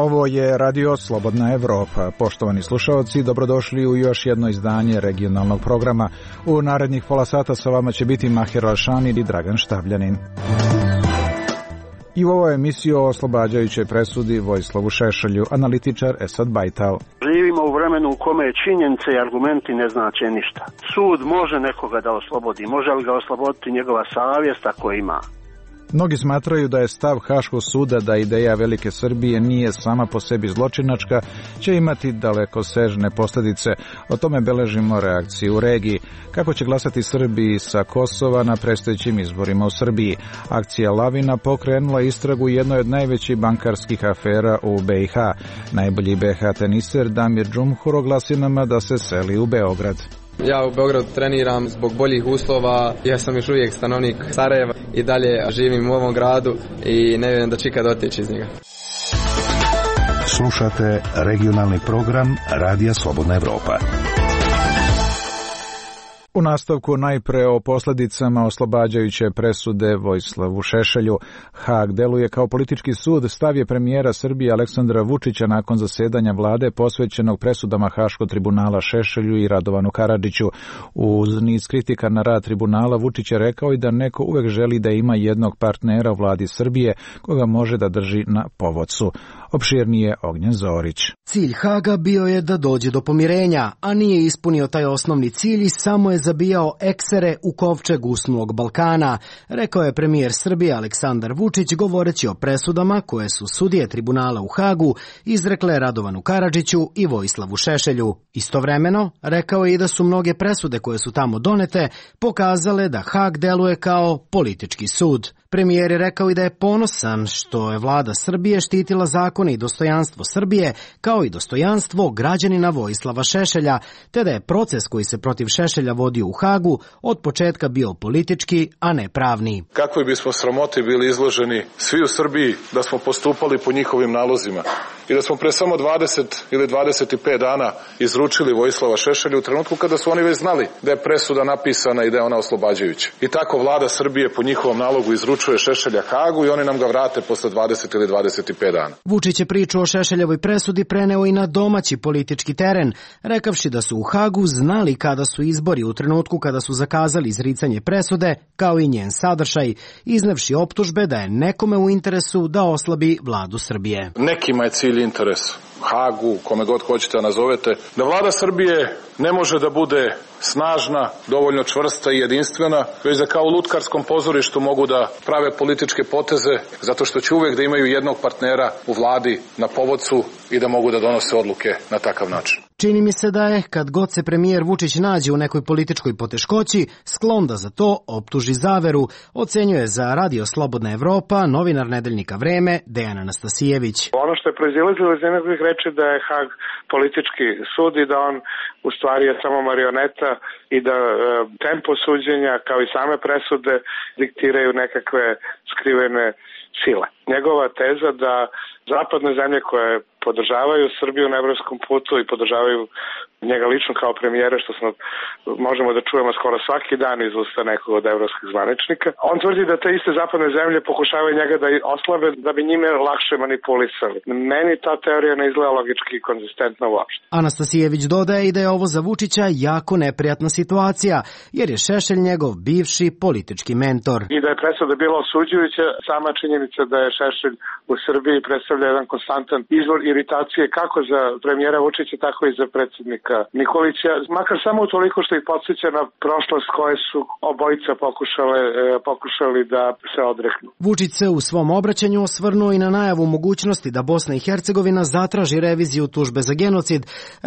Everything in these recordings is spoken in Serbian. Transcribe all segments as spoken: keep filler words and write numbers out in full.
Ovo je Radio Slobodna Evropa. Poštovani slušalci, dobrodošli u još jedno izdanje regionalnog programa. U narednih pola sata sa vama će biti Mahir Alšani i Dragan Štabljanin. I u ovoj emisiji o oslobađajućoj presudi Vojislavu Šešelju, analitičar Esad Bajtal. Živimo u vremenu u kome činjenice i argumenti ne znače ništa. Sud može nekoga da oslobodi, može li ga osloboditi njegova savjest ako ima. Mnogi smatraju da je stav Haškog suda da ideja Velike Srbije nije sama po sebi zločinačka, će imati dalekosežne posljedice. O tome beležimo reakciju u regiji. Kako će glasati Srbi sa Kosova na predstojećim izborima u Srbiji? Akcija Lavina pokrenula istragu jednoj od najvećih bankarskih afera u be i ha. Najbolji be ha teniser Damir Džumhur oglasi nama da se seli u Beograd. Ja u Beogradu treniram zbog boljih uslova, ja sam još uvijek stanovnik Sarajeva i dalje živim u ovom gradu i ne vjerujem da ću ikad otići iz njega. Slušate regionalni program Radija Slobodna Evropa. U nastavku najpre o posljedicama oslobađajuće presude Vojislavu Šešelju. Haag deluje kao politički sud, stav je premijera Srbije Aleksandra Vučića nakon zasedanja vlade posvećenog presudama Haškog tribunala Šešelju i Radovanu Karadžiću. Uz niz kritika na rad tribunala, Vučić je rekao i da neko uvek želi da ima jednog partnera u vladi Srbije koga može da drži na povodcu. Opširnije Ognjen Zorić. Cilj Haga bio je da dođe do pomirenja, a nije ispunio taj osnovni cilj i samo je zabijao eksere u kovčeg usnulog Balkana, rekao je premijer Srbije Aleksandar Vučić govoreći o presudama koje su sudije tribunala u Hagu izrekle Radovanu Karadžiću i Vojislavu Šešelju. Istovremeno, rekao je i da su mnoge presude koje su tamo donete pokazale da Hag deluje kao politički sud. Premijer je rekao i da je ponosan što je vlada Srbije štitila zakone i dostojanstvo Srbije, kao i dostojanstvo građanina Vojislava Šešelja, te da je proces koji se protiv Šešelja vodio u Hagu od početka bio politički, a ne pravni. Kakvi bismo sramote bili izloženi svi u Srbiji da smo postupali po njihovim nalozima i da smo pre samo dvadeset ili dvadeset pet dana izručili Vojislava Šešelja u trenutku kada su oni već znali da je presuda napisana i da je ona oslobađajuća. I tako vlada Srbije po njihovom nalogu izručuje Šešelja Hagu i oni nam ga vrate posle dvadeset ili dvadeset pet dana. Vučić je priču o Šešeljevoj presudi preneo i na domaći politički teren, rekavši da su u Hagu znali kada su izbori u trenutku kada su zakazali izricanje presude, kao i njen sadržaj, iznevši optužbe da je nekome u interesu da oslabi vladu Srbije. Nekima je cilj interes, Hagu, kome god hoćete da nazovete, da vlada Srbije ne može da bude snažna, dovoljno čvrsta i jedinstvena, već da kao u lutkarskom pozorištu mogu da prave političke poteze, zato što će uvek da imaju jednog partnera u vladi na povodcu i da mogu da donose odluke na takav način. Čini mi se da je, kad god se premijer Vučić nađe u nekoj političkoj poteškoći, sklon da za to optuži zaveru, ocenjuje za Radio Slobodna Evropa novinar nedeljnika Vreme Dejan Anastasijević. Ono što je proizilazilo iz njegovih reči da je Hag politički sud i da on u stvari je samo marioneta i da e, tempo suđenja kao i same presude diktiraju nekakve skrivene sile. Njegova teza da zapadne zemlje koje podržavaju Srbiju na evropskom putu i podržavaju njega lično kao premijera, što smo, možemo da čujemo skoro svaki dan iz usta nekog od evropskih zvaničnika. On tvrdi da te iste zapadne zemlje pokušavaju njega da oslabe, da bi njime lakše manipulisali. Meni ta teorija ne izgleda logički i konzistentna uopšte. Anastasijević dodaje i da je ovo za Vučića jako neprijatna situacija, jer je Šešelj njegov bivši politički mentor. I da je presuda bila osuđujuća, sama činjenica da je Šešelj u Srbiji predstavlja jedan konstantan izvor iritacije kako za premijera Vučića, tako i za predsjednika Nikolića, makar samo toliko što ih podsjeća na prošlost koje su obojica pokušale, pokušali da se odreknu. Vučić se u svom obraćanju osvrnuo i na najavu mogućnosti da Bosna i Hercegovina zatraži reviziju tužbe za genocid,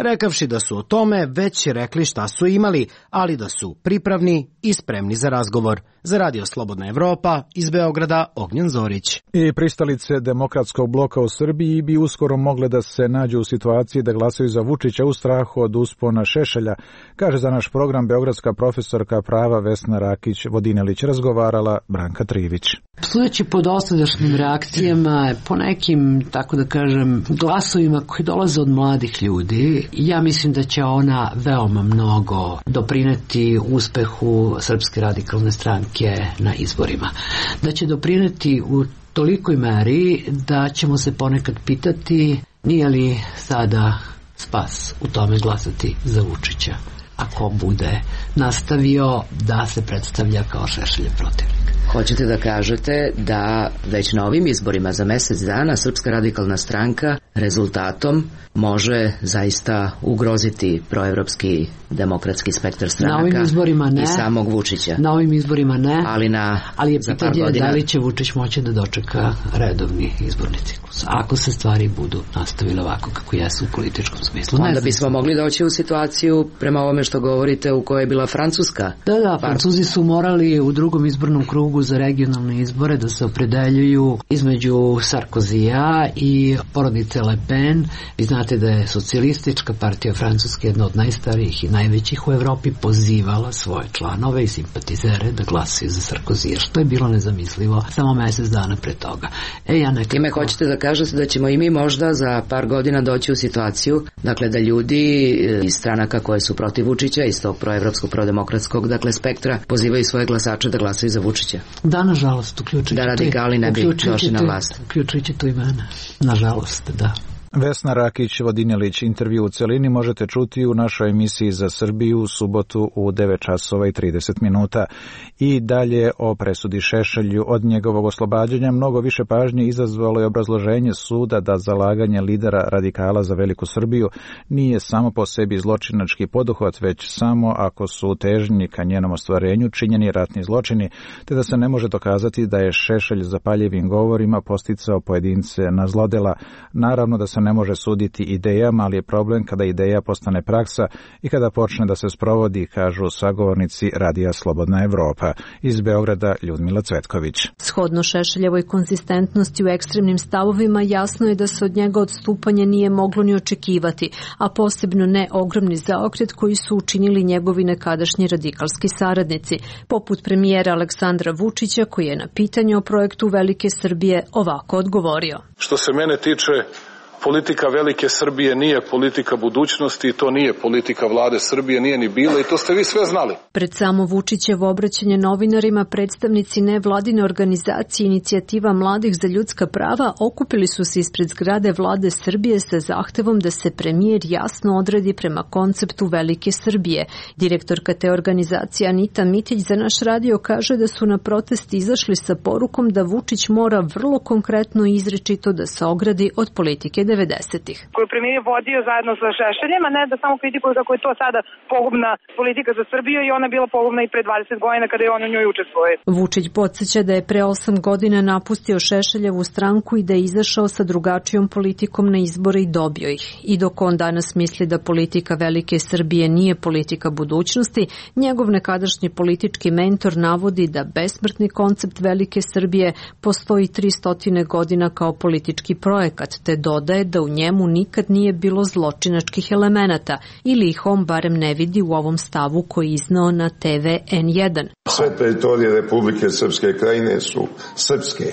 rekavši da su o tome već rekli šta su imali, ali da su pripravni i spremni za razgovor. Za Radio Slobodna Evropa, iz Beograda, Ognjen Zorić. I pristalice demokratskog bloka u Srbiji bi uskoro mogle da se nađu u situaciji da glasaju za Vučića u strahu od uspona Šešelja, kaže za naš program beogradska profesorka prava Vesna Rakić-Vodinelić, razgovarala Branka Trivić. Sudeći po dosadašnjim reakcijama, po nekim, tako da kažem, glasovima koji dolaze od mladih ljudi, ja mislim da će ona veoma mnogo doprineti uspehu Srpske radikalne stranke na izborima. Da će doprineti u tolikoj meri da ćemo se ponekad pitati nije li sada spas u tome glasati za Vučića, ako bude nastavio da se predstavlja kao Šešeljev protivnik. Hoćete da kažete da već na ovim izborima za mesec dana Srpska radikalna stranka rezultatom može zaista ugroziti proevropski demokratski spektar stranaka ne, i samog Vučića? Na ovim izborima ne, ali, na, ali je pitanje godina... da li će Vučić moći da dočeka redovni izborni ciklus, ako se stvari budu nastavile ovako kako jesu u političkom smislu. Onda bismo mogli doći u situaciju, prema ovome što govorite, u kojoj je bila Francuska. Da, da, Francuzi su morali u drugom izbornom krugu za regionalne izbore da se opredeljuju između Sarkozija i porodice Le Pen. Vi znate da je socijalistička partija Francuske, jedna od najstarijih i najvećih u Evropi, pozivala svoje članove i simpatizere da glasaju za Sarkozija, što je bilo nezamislivo samo mesec dana pre toga. E, ja nekako... Time hoćete da kažete da ćemo i mi možda za par godina doći u situaciju, dakle, da ljudi iz stranaka koje su protiv Vučića, iz tog proevropskog, prodemokratskog, dakle, spektra, pozivaju svoje glasače da glasaju za Vučića? Da, nažalost, uključujući da radikali ne bi došli na vlast. Uključujući tu i mene. Nažalost, da. Vesna Rakić-Vodinjelić, intervju u celini možete čuti u našoj emisiji za Srbiju u subotu u devet časova i trideset minuta. I dalje o presudi Šešelju. Od njegovog oslobađanja mnogo više pažnje izazvalo je obrazloženje suda da zalaganje lidera radikala za veliku Srbiju nije samo po sebi zločinački poduhvat, već samo ako su težnji ka njenom ostvarenju činjeni ratni zločini, te da se ne može dokazati da je Šešelj zapaljivim govorima posticao pojedince na zlodela. Naravno da se ne može suditi idejama, ali je problem kada ideja postane praksa i kada počne da se sprovodi, kažu sagovornici Radija Slobodna Evropa. Iz Beograda Ljudmila Cvetković. Shodno Šešeljevoj konzistentnosti u ekstremnim stavovima, jasno je da se od njega odstupanje nije moglo ni očekivati, a posebno ne ogromni zaokret koji su učinili njegovi nekadašnji radikalski saradnici, poput premijera Aleksandra Vučića, koji je na pitanje o projektu Velike Srbije ovako odgovorio. Što se mene tiče, politika Velike Srbije nije politika budućnosti i to nije politika vlade Srbije, nije ni bila i to ste vi sve znali. Pred samo Vučićevo obraćanje novinarima, predstavnici nevladine organizacije Inicijativa mladih za ljudska prava okupili su se ispred zgrade vlade Srbije sa zahtevom da se premijer jasno odredi prema konceptu Velike Srbije. Direktorka te organizacije Anita Mitić za naš radio kaže da su na protest izašli sa porukom da Vučić mora vrlo konkretno i izričito da se ogradi od politike devedesetih. Koju premijer vodio zajedno sa Šešeljem, a ne da samo kritikuju kako je to sada pogubna politika za Srbiju i ona je bila pogubna i pre dvadeset godina kada je on u njoj učestvovao. Vučić podsjeća da je pre osam godina napustio Šešeljevu stranku i da je izašao sa drugačijom politikom na izbore i dobio ih. I dok on danas misli da politika Velike Srbije nije politika budućnosti, njegov nekadašnji politički mentor navodi da besmrtni koncept Velike Srbije postoji tristo godina kao politički projekat, te dodaje da u njemu nikad nije bilo zločinačkih elemenata ili ih on barem ne vidi u ovom stavu koji iznao na te ve en jedan. Sve teritorije Republike Srpske krajine su srpske.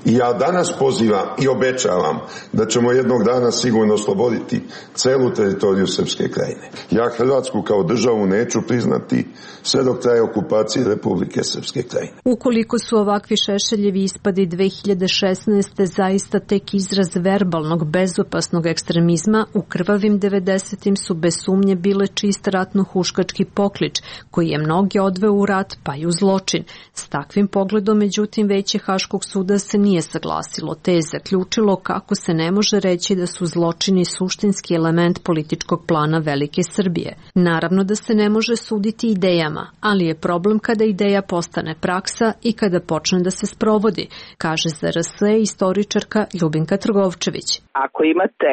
I ja danas pozivam i obećavam da ćemo jednog dana sigurno osloboditi celu teritoriju Srpske krajine. Ja Hrvatsku kao državu neću priznati sve dok traje okupacija Republike Srpske krajine. Ukoliko su ovakvi Šešeljevi ispadi dve hiljade šesnaeste. zaista tek izraz verbalnog, bezopasnog ekstremizma, u krvavim devedesetim su bez sumnje bile čist ratno-huškački poklič, koji je mnoge odveo u rat pa i u zločin. S takvim pogledom, međutim, Veće Haškog suda se nije saglasilo, te je zaključilo kako se ne može reći da su zločini suštinski element političkog plana Velike Srbije. Naravno da se ne može suditi idejama, ali je problem kada ideja postane praksa i kada počne da se sprovodi, kaže za er es istoričarka Ljubinka Trgovčević. Ako imate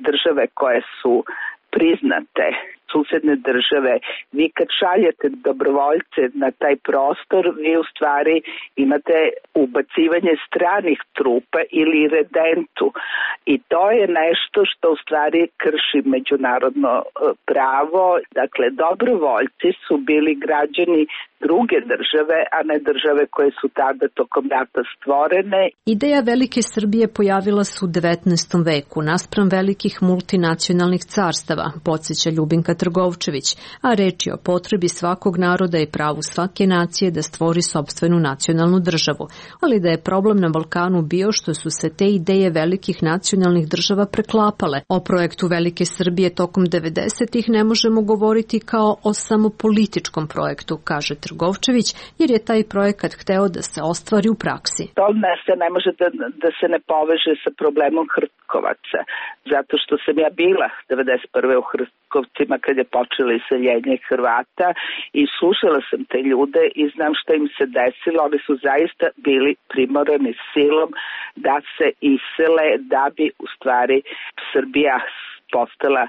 države koje su priznate, susedne države, vi kad šaljete dobrovoljce na taj prostor, vi u stvari imate ubacivanje stranih trupa ili redentu i to je nešto što u stvari krši međunarodno pravo. Dakle, dobrovoljci su bili građani druge države, a ne države koje su tada tokom rata stvorene. Ideja Velike Srbije pojavila se u devetnaestom veku naspram velikih multinacionalnih carstava, podsjeća Ljubinka Trgovčević, a reč je o potrebi svakog naroda i pravu svake nacije da stvori sopstvenu nacionalnu državu, ali da je problem na Balkanu bio što su se te ideje velikih nacionalnih država preklapale. O projektu Velike Srbije tokom devedesetih ne možemo govoriti kao o samo političkom projektu, kaže Trgovčević, jer je taj projekat hteo da se ostvari u praksi. To ne se ne može da, da se ne poveže sa problemom Hrtkovaca, zato što sam ja bila devedeset prve u Hrtkovcima kad je počelo iseljenje Hrvata i slušala sam te ljude i znam šta im se desilo. Oni su zaista bili primorani silom da se isele da bi u stvari Srbija postala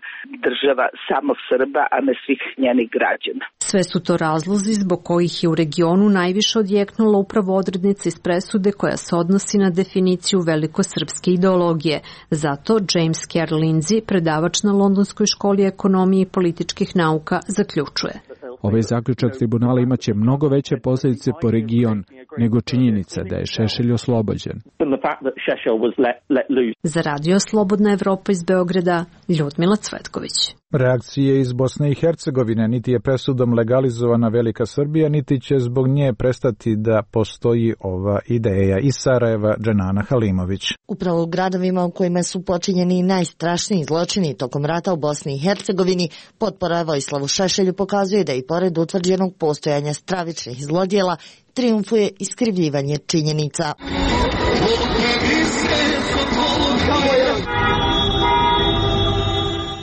država samo Srba, a ne svih njenih građana. Sve su to razlozi zbog kojih je u regionu najviše odjeknula upravo odrednica iz presude koja se odnosi na definiciju velikosrpske ideologije. Zato James Kerr Lindsay, predavač na Londonskoj školi ekonomije i političkih nauka, zaključuje. Ovaj zaključak tribunala imaće mnogo veće posljedice po region nego činjenica da je Šešelj oslobođen. Za Radio Slobodna Evropa iz Beograda, Ljudmila Cvetković. Reakcije iz Bosne i Hercegovine: niti je presudom legalizovana Velika Srbija, niti će zbog nje prestati da postoji ova ideja. Iz Sarajeva, Dženana Halimović. Upravo u gradovima u kojima su počinjeni najstrašniji zločini tokom rata u Bosni i Hercegovini, potpora Vojislavu Šešelju pokazuje da i pored utvrđenog postojanja stravičnih zlodjela trijumfuje iskrivljivanje činjenica.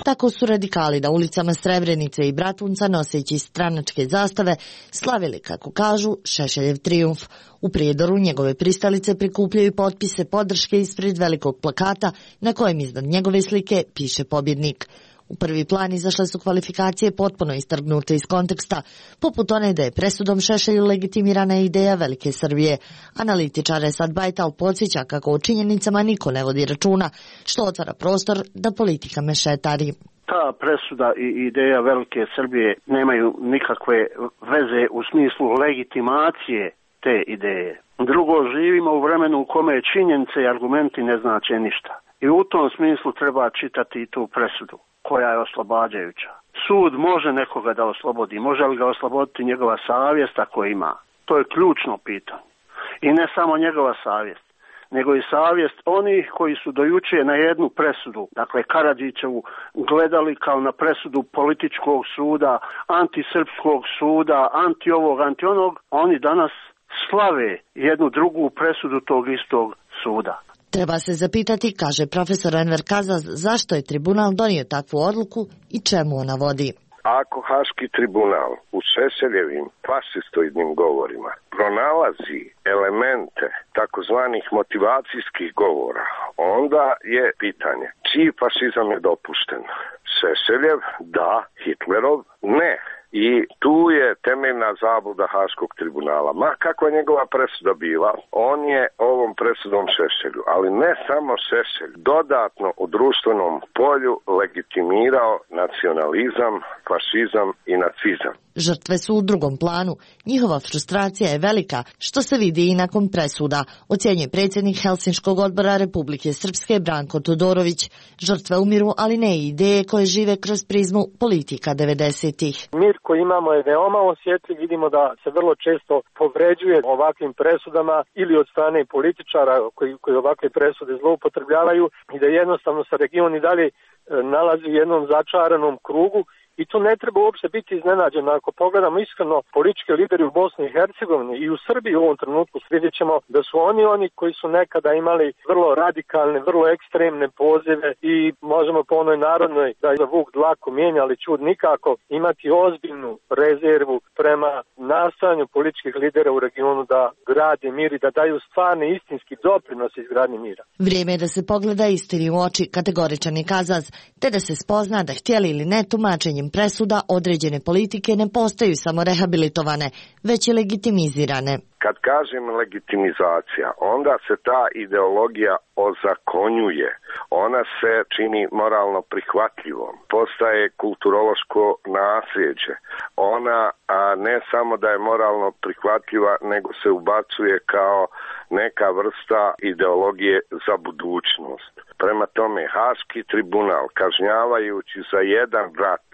Tako su radikali na ulicama Srebrenice i Bratunca, noseći stranačke zastave, slavili, kako kažu, Šešeljev trijumf. U Prijedoru njegove pristalice prikupljaju potpise podrške ispred velikog plakata na kojem iznad njegove slike piše pobjednik. U prvi plan izašle su kvalifikacije potpuno istrgnute iz konteksta, poput one da je presudom Šešelju legitimirana ideja Velike Srbije. Analitičar Esad Bajtal podsjeća kako o činjenicama niko ne vodi računa, što otvara prostor da politika mešetari. Ta presuda i ideja Velike Srbije nemaju nikakve veze u smislu legitimacije te ideje. Drugo, živimo u vremenu u kome činjenice i argumenti ne znače ništa. I u tom smislu treba čitati i tu presudu, koja je oslobađajuća. Sud može nekoga da oslobodi, može li ga osloboditi njegova savjest ako ima? To je ključno pitanje. I ne samo njegova savjest, nego i savjest onih koji su dojuče na jednu presudu, dakle Karadžićevu, gledali kao na presudu političkog suda, antisrpskog suda, anti ovog, anti onog. Oni danas slave jednu drugu presudu tog istog suda. Treba se zapitati, kaže profesor Enver Kazaz, zašto je tribunal donio takvu odluku i čemu ona vodi. Ako Haški tribunal u Šešeljevim fašistoidnim govorima pronalazi elemente takozvanih motivacijskih govora, onda je pitanje čiji fašizam je dopušten. Šešeljev da, Hitlerov ne. I tu je temeljna zabluda Haškog tribunala. Ma kakva je njegova presuda bila, on je ovom presudom Šešelju, ali ne samo Šešelj, dodatno u društvenom polju legitimirao nacionalizam, fašizam i nacizam. Žrtve su u drugom planu. Njihova frustracija je velika, što se vidi i nakon presuda, ocjenjuje predsjednik Helsinškog odbora Republike Srpske Branko Todorović. Žrtve umiru, ali ne i ideje koje žive kroz prizmu politika devedesetih. Mir koji imamo je veoma osjetljiv, vidimo da se vrlo često povređuje ovakvim presudama ili od strane političara koji, koji ovakve presude zloupotrebljavaju i da jednostavno se region i dalje nalazi u jednom začaranom krugu. I tu ne treba uopšte biti iznenađen. Ako pogledamo iskreno, politički lideri u Bosni i Hercegovini i u Srbiji u ovom trenutku vidjet ćemo da su oni oni koji su nekada imali vrlo radikalne, vrlo ekstremne pozive i možemo po onoj narodnoj da je vuk dlaku mijenja, ali čud nikako imati ozbiljnu rezervu prema nastojanju političkih lidera u regionu da grade mir i da daju stvarni istinski doprinos izgradnji mira. Vrijeme je da se pogleda istini u oči, kategoričan je Kazaz, te da se spozna da htjeli ili ne tumačenjem ovim presuda određene politike ne postaju samo rehabilitovane, već i legitimizirane. Kad kažem legitimizacija, onda se ta ideologija ozakonjuje. Ona se čini moralno prihvatljivom. Postaje kulturološko nasljeđe. Ona a ne samo da je moralno prihvatljiva, nego se ubacuje kao neka vrsta ideologije za budućnost. Prema tome, Haški tribunal, kažnjavajući za jedan rat,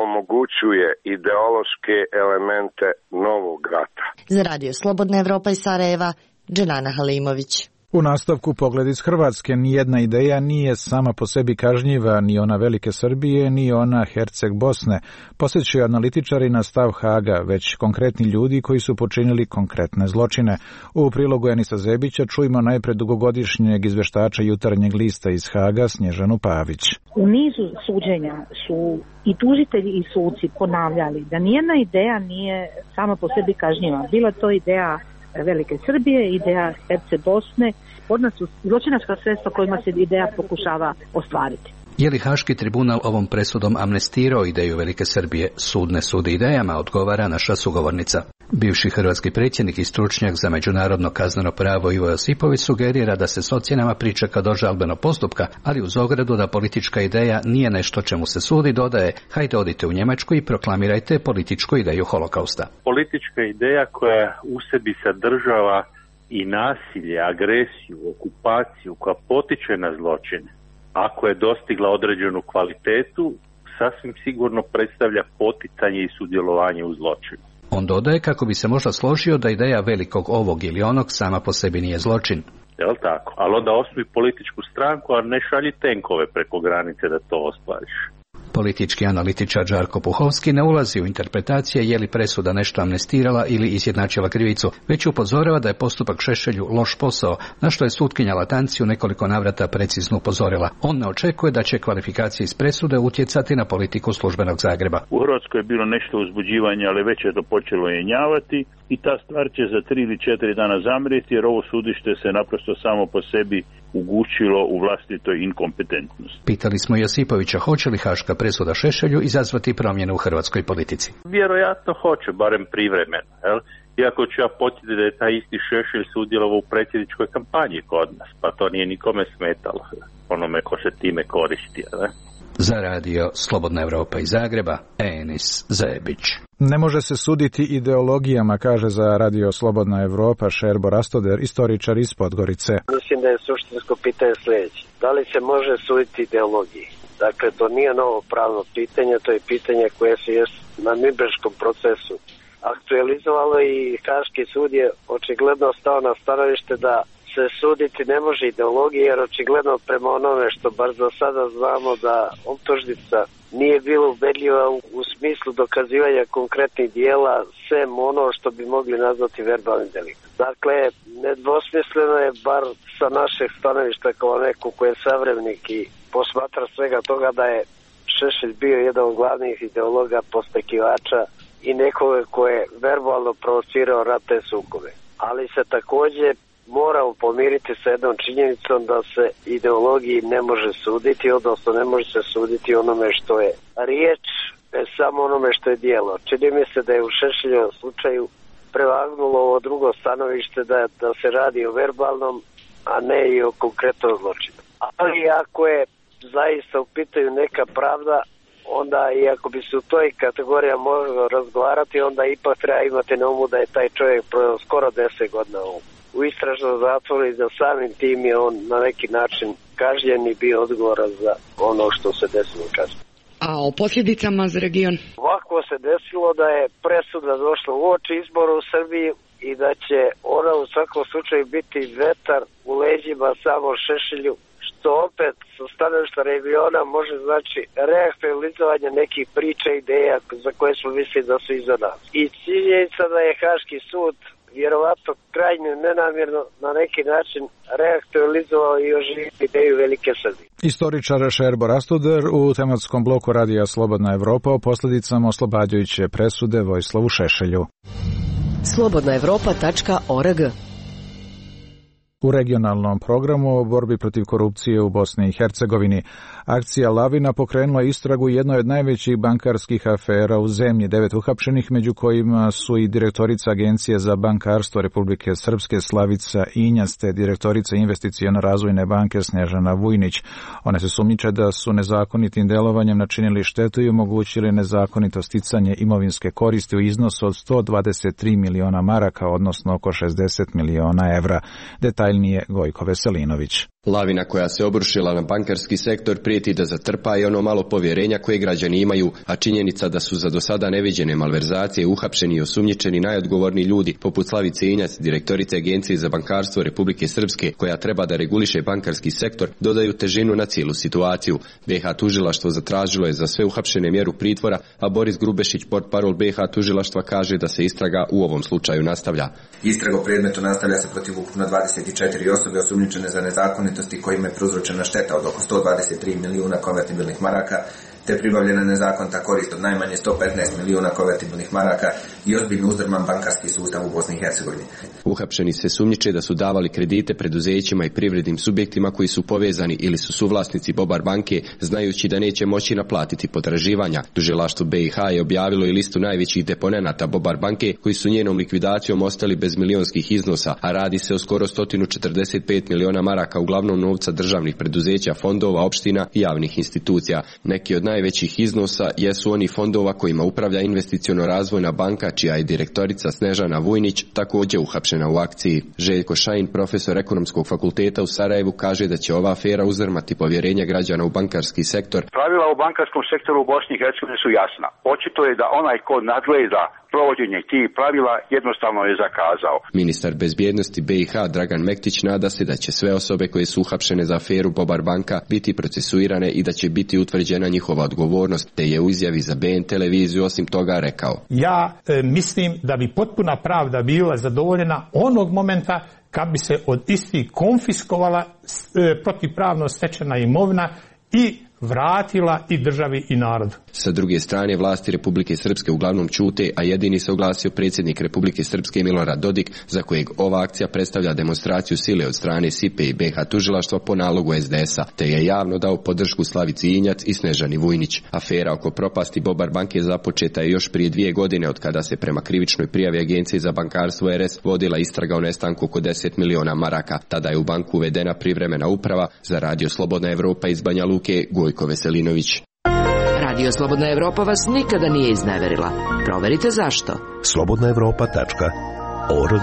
omogućuje ideološke elemente novog rata. Za Radio Slobodna Evropa iz Sarajeva, Dženana Halimović. U nastavku pogled iz Hrvatske, nijedna ideja nije sama po sebi kažnjiva, ni ona Velike Srbije, ni ona Herceg Bosne, posjećaju analitičari na stav Haga, već konkretni ljudi koji su počinili konkretne zločine. U prilogu Enisa Zebića čujemo najpred dugogodišnjeg izveštača Jutarnjeg lista iz Haga, Snježanu Pavić. U nizu suđenja su i tužitelji i suci ponavljali da nijedna ideja nije sama po sebi kažnjiva. Bila to ideja Velike Srbije, ideja Herce Bosne, kod nas su zločinačka sredstva kojima se ideja pokušava ostvariti. Je li Haški tribunal ovom presudom amnestirao ideju Velike Srbije? Sud ne sudi idejama, odgovara naša sugovornica. Bivši hrvatski predsjednik i stručnjak za međunarodno kazneno pravo Ivo Josipović sugerira da se s ocjenama pričeka do žalbenog postupka, ali uz ogradu da politička ideja nije nešto čemu se sudi, dodaje: hajde odite u Njemačku i proklamirajte političku ideju holokausta. Politička ideja koja u sebi sadržava i nasilje, agresiju, okupaciju, koja potiče na zločine, ako je dostigla određenu kvalitetu, sasvim sigurno predstavlja poticanje i sudjelovanje u zločinu. On dodaje kako bi se možda složio da ideja velikog ovog ili onog sama po sebi nije zločin. Jel tako? Ali onda osnuj političku stranku, a ne šalji tenkove preko granice da to ostvariš. Politički analitičar Žarko Puhovski ne ulazi u interpretacije je li presuda nešto amnestirala ili izjednačila krivicu, već upozorava da je postupak Šešelju loš posao, na što je sutkinja Latanci u nekoliko navrata precizno upozorila. On ne očekuje da će kvalifikacije iz presude utjecati na politiku službenog Zagreba. U Hrvatskoj je bilo nešto uzbuđivanja, ali već je to počelo jenjavati i ta stvar će za tri ili četiri dana zamrijeti, jer ovo sudište se naprosto samo po sebi ugušilo u vlastitoj inkompetentnosti. Pitali smo Josipovića hoće li haška presuda Šešelju izazvati promjene u hrvatskoj politici. Vjerojatno hoće, barem privremeno. Jel? Iako ću ja podsjetiti da je taj isti Šešelj sudjelovao u predsjedničkoj kampanji kod nas, pa to nije nikome smetalo, onome ko se time koristi. Ne? Za Radio Slobodna Evropa iz Zagreba, Enis Zebić. Ne može se suditi ideologijama, kaže za Radio Slobodna Evropa Šerbo Rastoder, istoričar iz Podgorice. Mislim da je suštinsko pitanje sljedeće. Da li se može suditi ideologiji? Dakle, to nije novo pravno pitanje, to je pitanje koje se je na Nürnberškom procesu aktualizovalo i Haški sud je očigledno stao na stanovište da se suditi ne može ideologije, jer očigledno prema onome što bar za sada znamo da optužnica nije bila ubedljiva u, u smislu dokazivanja konkretnih dijela, sem ono što bi mogli nazvati verbalni delikt. Dakle, nedvosmisleno je, bar sa našeg stanovišta kao neko ko je savremenik i posmatra svega toga, da je Šešelj bio jedan od glavnih ideologa, postekivača i nekoga ko je verbalno provocirao ratne sukobe. Ali se također moramo pomiriti sa jednom činjenicom da se ideologiji ne može suditi, odnosno ne može se suditi onome što je riječ, ne samo onome što je dijelo. Čini mi se da je u Šešeljevom slučaju prevagnulo ovo drugo stanovište da, da se radi o verbalnom, a ne i o konkretnom zločinu. Ali ako je zaista u pitanju neka pravda, onda i ako bi se u toj kategoriji moglo razgovarati, onda ipak treba imati na umu da je taj čovjek proveo skoro deset godina u, u istražnom zatvoru i da samim tim je on na neki način kažnjen i bio odgovoran za ono što se desilo kasnije. A o posljedicama za region? Ovako se desilo da je presuda došla u oči izbora u Srbiji i da će ona u svakom slučaju biti vetar u leđima samo Šešelju, što opet sa stanovišta regiona može znači reaktualizovanje nekih priča i ideja za koje smo mislili da su iza nas. I činjenica da je Haški sud vjerovatno krajnje nenamjerno na neki način reaktualizovao i oživio ideju Velike Srbije. Istoričar Šerbo Rastoder u tematskom bloku Radija Slobodna Evropa o posljedicama oslobađajuće presude Vojislavu Šešelju. slobodna evropa tačka org u regionalnom programu o borbi protiv korupcije u Bosni i Hercegovini. Akcija Lavina pokrenula istragu jednoj od najvećih bankarskih afera u zemlji. Devet uhapšenih, među kojima su i direktorica Agencije za bankarstvo Republike Srpske Slavica Injac te direktorica Investiciono-razvojne banke Snežana Vujnić. One se sumnjiče da su nezakonitim delovanjem načinili štetu i omogućili nezakonito sticanje imovinske koristi u iznosu od sto dvadeset tri miliona maraka, odnosno oko šezdeset miliona evra. Detaljnije Gojko Veselinović. Lavina koja se obrušila na bankarski sektor prijeti da zatrpa i ono malo povjerenja koje građani imaju, a činjenica da su za do sada neviđene malverzacije uhapšeni i osumnjičeni najodgovorniji ljudi, poput Slavice Injac, direktorice Agencije za bankarstvo Republike Srpske, koja treba da reguliše bankarski sektor, dodaju težinu na cijelu situaciju. B iH tužilaštvo zatražilo je za sve uhapšene mjeru pritvora, a Boris Grubešić, portparol B iH tužilaštva, kaže da se istraga u ovom slučaju nastavlja. Istraga u predmetu nastavlja se protiv ukupno dvadeset četiri osobe osumnjičene za nezakonitosti kojima je prouzročena šteta od oko sto dvadeset tri milijuna konvertibilnih maraka, te pribavljena nezakonita korist od najmanje sto petnaest milijuna konvertibilnih maraka i ozbiljno uzdrman bankarski sustav u Bosni i Hercegovini. Uhapšeni se sumnjiče da su davali kredite preduzećima i privrednim subjektima koji su povezani ili su suvlasnici Bobar banke, znajući da neće moći naplatiti potraživanja. Tužilaštvo B iH je objavilo i listu najvećih deponenata Bobar banke koji su njenom likvidacijom ostali bez milionskih iznosa, a radi se o skoro sto četrdeset pet miliona maraka, uglavnom novca državnih preduzeća, fondova, opština i javnih institucija. Neki od najvećih iznosa jesu oni fondova kojima upravlja Investiciono-razvojna banka, čija je direktorica Snežana Vujnić također uhapšena u akciji. Željko Šajin, profesor ekonomskog fakulteta u Sarajevu, kaže da će ova afera uzdrmati povjerenje građana u bankarski sektor. Pravila u bankarskom sektoru u Bosni i Hercegovini su jasna. Očito je da onaj ko nadgleda provođenje tih pravila jednostavno je zakazao. Ministar bezbjednosti B iH Dragan Mektić nada se da će sve osobe koje su uhapšene za aferu Bobar banka biti procesuirane i da će biti utvrđena njihova odgovornost, te je u izjavi za B N televiziju osim toga rekao: Ja e, mislim da bi potpuna pravda bila zadovoljena onog momenta kad bi se od istih konfiskovala e, protivpravno stečena imovina i vratila i državi i narodu. Sa druge strane, vlasti Republike Srpske uglavnom ćute, a jedini se oglasio predsjednik Republike Srpske Milorad Dodik, za kojeg ova akcija predstavlja demonstraciju sile od strane S I P E i B iH tužilaštva po nalogu S D S-a, te je javno dao podršku Slavici Injac i Snežani Vujnić. Afera oko propasti Bobar banke započeta je još prije dvije godine, od kada se prema krivičnoj prijavi Agencije za bankarstvo R S vodila istraga o nestanku oko deset miliona maraka. Tada je u banku uvedena privremena uprava. Za Radio Slobodna Evropa iz Banja Luke, Gojko Veselinović. Radio Slobodna Evropa vas nikada nije izneverila. Proverite zašto. slobodna evropa tačka org.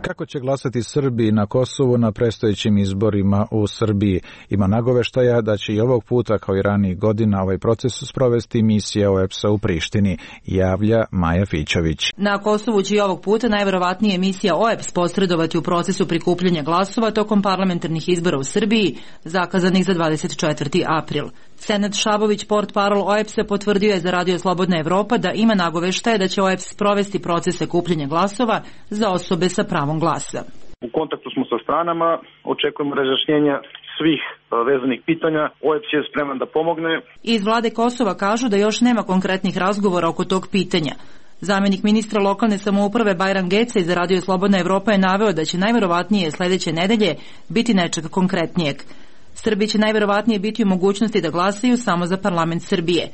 Kako će glasati Srbi na Kosovu na predstojećim izborima u Srbiji? Ima nagoveštaja da će i ovog puta, kao i ranijih godina, ovaj proces sprovesti misija O E P S-a u Prištini, javlja Maja Fićović. Na Kosovu će i ovog puta najverovatnije misija O E P S posredovati u procesu prikupljanja glasova tokom parlamentarnih izbora u Srbiji, zakazanih za dvadeset četvrti april. Senad Šabović, portparol O E P S-a, potvrdio je za Radio Slobodna Evropa da ima nagoveštaje da će O E P S sprovesti procese kupljanja glasova za osobe sa pravom glasa. U kontaktu smo sa stranama, očekujemo razjašnjenja svih vezanih pitanja. O E P S je spreman da pomogne. Iz vlade Kosova kažu da još nema konkretnih razgovora oko tog pitanja. Zamenik ministra lokalne samouprave Bajram Geca iz Radio Slobodna Evropa je naveo da će najverovatnije sledeće nedelje biti nečeg konkretnijeg. Srbi će najverovatnije biti u mogućnosti da glasaju samo za parlament Srbije.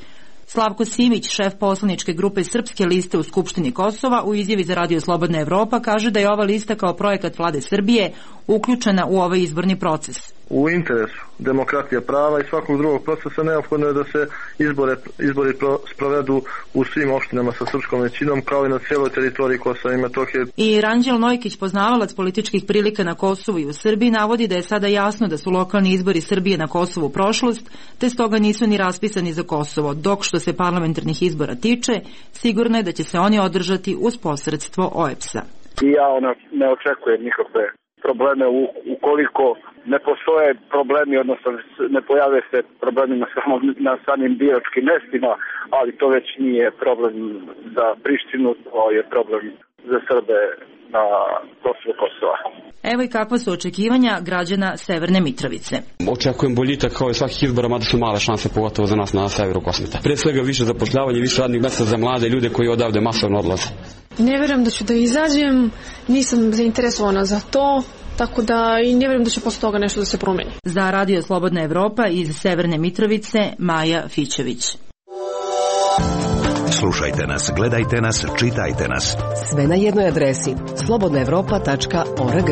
Slavko Simić, šef poslaničke grupe Srpske liste u Skupštini Kosova, u izjavi za Radio Slobodna Evropa kaže da je ova lista kao projekat vlade Srbije uključena u ovaj izborni proces. U interesu demokratije prava i svakog drugog procesa neophodno je da se izbore, izbori pro, sprovedu u svim opštinama sa srpskom većinom, kao i na cijeloj teritoriji Kosova i Metohije. I Ranđel Nojkić, poznavalac političkih prilika na Kosovu i u Srbiji, navodi da je sada jasno da su lokalni izbori Srbije na Kosovu prošlost, te stoga nisu ni raspisani za Kosovo, dok što se parlamentarnih izbora tiče, sigurno je da će se oni održati uz posredstvo O E P S-a. I ja ona ne očekujem nikakve probleme u, ukoliko ne postoje problemi, odnosno ne pojave se problemi na, samom, na samim biračkim mestima, ali to već nije problem za Prištinu, to je problem za Srbe na Kosovu Kosova. Evo i kakva su očekivanja građana Severne Mitrovice. Očekujem boljitak kao i svakih izbora, mada su male šanse, pogotovo za nas na severu Kosmeta. Pre svega više zapošljavanje, više radnih mjesta za mlade ljude koji odavde masovno odlaze. Ne vjerujem da ću da izađem, nisam zainteresovana za to, tako da i ne vjerujem da će posle toga nešto da se promeni. Za Radio Slobodna Evropa iz Severne Mitrovice, Maja Fićević. Slušajte nas, gledajte nas, čitajte nas. Sve na jednoj adresi slobodna evropa tačka org.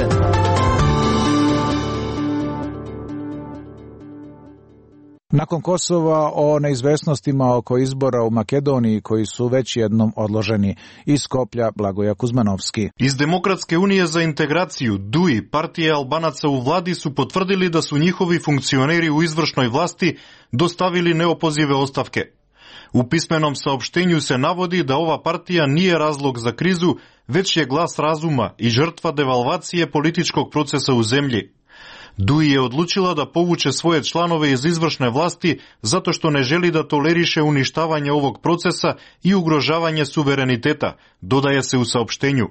Nakon Kosova o neizvesnostima oko izbora u Makedoniji koji su već jednom odloženi. Iz Skoplja Blagoja Kuzmanovski. Iz Demokratske unije za integraciju D U I, partije Albanaca u vladi, su potvrdili da su njihovi funkcioneri u izvršnoj vlasti dostavili neopozive ostavke. U pismenom saopštenju se navodi da ova partija nije razlog za krizu, već je glas razuma i žrtva devalvacije političkog procesa u zemlji. D U I je odlučila da povuče svoje članove iz izvršne vlasti zato što ne želi da toleriše uništavanje ovog procesa i ugrožavanje suvereniteta, dodaje se u saopštenju.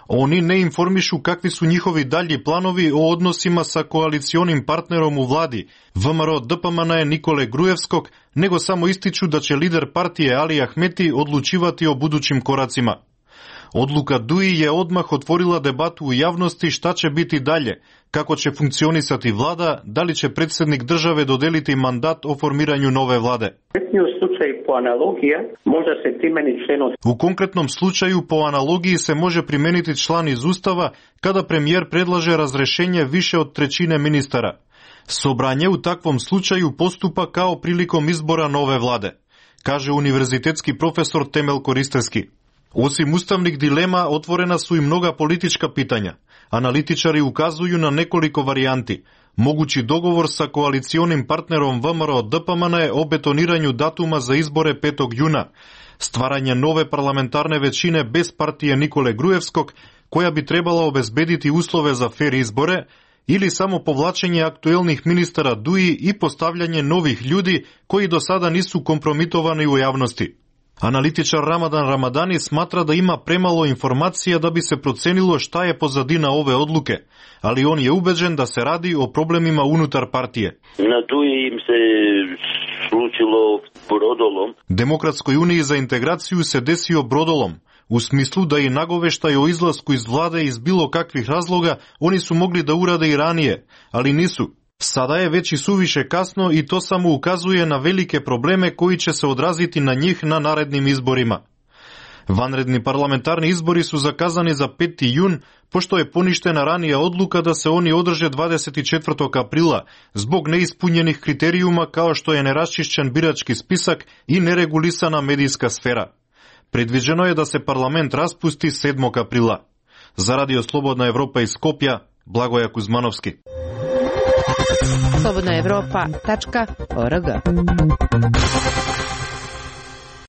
Oni ne informišu kakvi su njihovi dalji planovi o odnosima sa koalicionim partnerom u vladi, V M R O D P M N Nikole Grujevskog, nego samo ističu da će lider partije Ali Ahmeti odlučivati o budućim koracima. Odluka D U I je odmah otvorila debatu u javnosti šta će biti dalje, kako će funkcionisati vlada, da li će predsjednik države dodeliti mandat o formiranju nove vlade. U konkretnom slučaju po analogiji se može primijeniti član iz Ustava kada premijer predlaže razrešenje više od trećine ministara. Sobranje u takvom slučaju postupa kao prilikom izbora nove vlade, kaže univerzitetski profesor Temel Koristeski. Osim ustavnih dilema, otvorena su i mnoga politička pitanja. Analitičari ukazuju na nekoliko varijanti. Mogući dogovor sa koalicionim partnerom V M R O D P M N o betoniranju datuma za izbore petog juna, stvaranje nove parlamentarne većine bez partije Nikole Grujevskog, koja bi trebala obezbediti uslove za fer izbore, ili samo povlačenje aktuelnih ministara D U I i postavljanje novih ljudi koji do sada nisu kompromitovani u javnosti. Analitičar Ramadan Ramadani smatra da ima premalo informacija da bi se procenilo šta je pozadina ove odluke, ali on je ubeđen da se radi o problemima unutar partije. Na D U I im se slučilo brodolom. Demokratskoj uniji za integraciju se desio brodolom, u smislu da i nagoveštaj o izlasku iz vlade iz bilo kakvih razloga oni su mogli da urade i ranije, ali nisu. Sada je već i suviše kasno i to samo ukazuje na velike probleme koji će se odraziti na njih na narednim izborima. Vanredni parlamentarni izbori su zakazani za peti jun, pošto je poništena ranija odluka da se oni održe dvadeset četvrtog aprila zbog neispunjenih kriterijuma kao što je neraščišćen birački spisak i neregulisana medijska sfera. Predviđeno je da se parlament raspusti sedmog aprila. Za Radio Slobodna Evropa iz Skopja, Blagoja Kuzmanovski. slobodna evropa tačka org.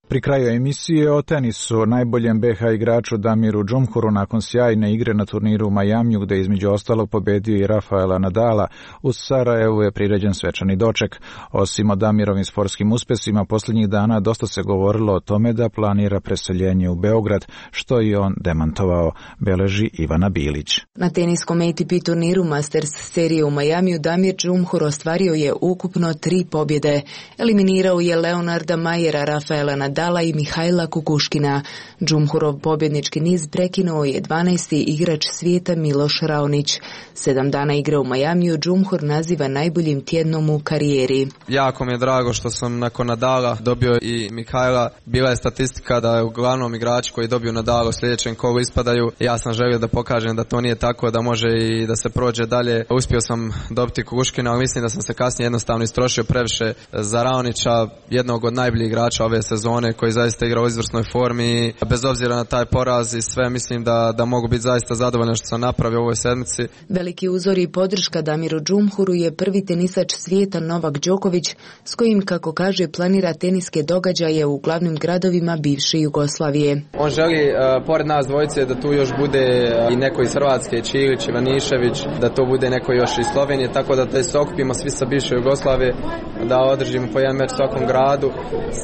Pri kraju emisije o tenisu, najboljem B H igraču Damiru Džumhuru nakon sjajne igre na turniru u Majamiju, gde između ostalog pobedio i Rafaela Nadala, u Sarajevu je priređen svečani doček. Osim o Damirovim sportskim uspesima, posljednjih dana dosta se govorilo o tome da planira preseljenje u Beograd, što i on demantovao, beleži Ivana Bilić. Na teniskom A T P turniru Masters serije u Majamiju Damir Džumhur ostvario je ukupno tri pobjede. Eliminirao je Leonarda Majera, Rafaela Nadala i Mihajla Kukuškina. Džumhurov pobjednički niz prekinuo je dvanaesti igrač svijeta Miloš Raonić. Sedam dana igre u Majamiju Džumhur naziva najboljim tjednom u karijeri. Jako mi je drago što sam nakon Nadala dobio i Mihajla. Bila je statistika da je uglavnom igrači koji dobiju Nadala u sljedećem kolu ispadaju. Ja sam želio da pokažem da to nije tako, da može i da se prođe dalje. Uspio sam dobiti Kukuškina, ali mislim da sam se kasnije jednostavno istrošio previše za Raonića, jednog od najboljih igrača ove sezone, koji zaista igra u izvrsnoj formi. Bez obzira na taj poraz i sve, mislim da, da mogu biti zaista zadovoljan što sam napravio u ovoj sedmici. Veliki uzor i podrška Damiru Džumhuru je prvi tenisač svijeta Novak Đoković, s kojim, kako kaže, planira teniske događaje u glavnim gradovima bivše Jugoslavije. On želi, uh, pored nas dvojice, da tu još bude uh, i neko iz Hrvatske, Čilić, Ivanišević, da to bude neko još iz Slovenije, tako da, da se okupimo svi sa bivše Jugoslavije, da održimo po jedan meč u svakom gradu.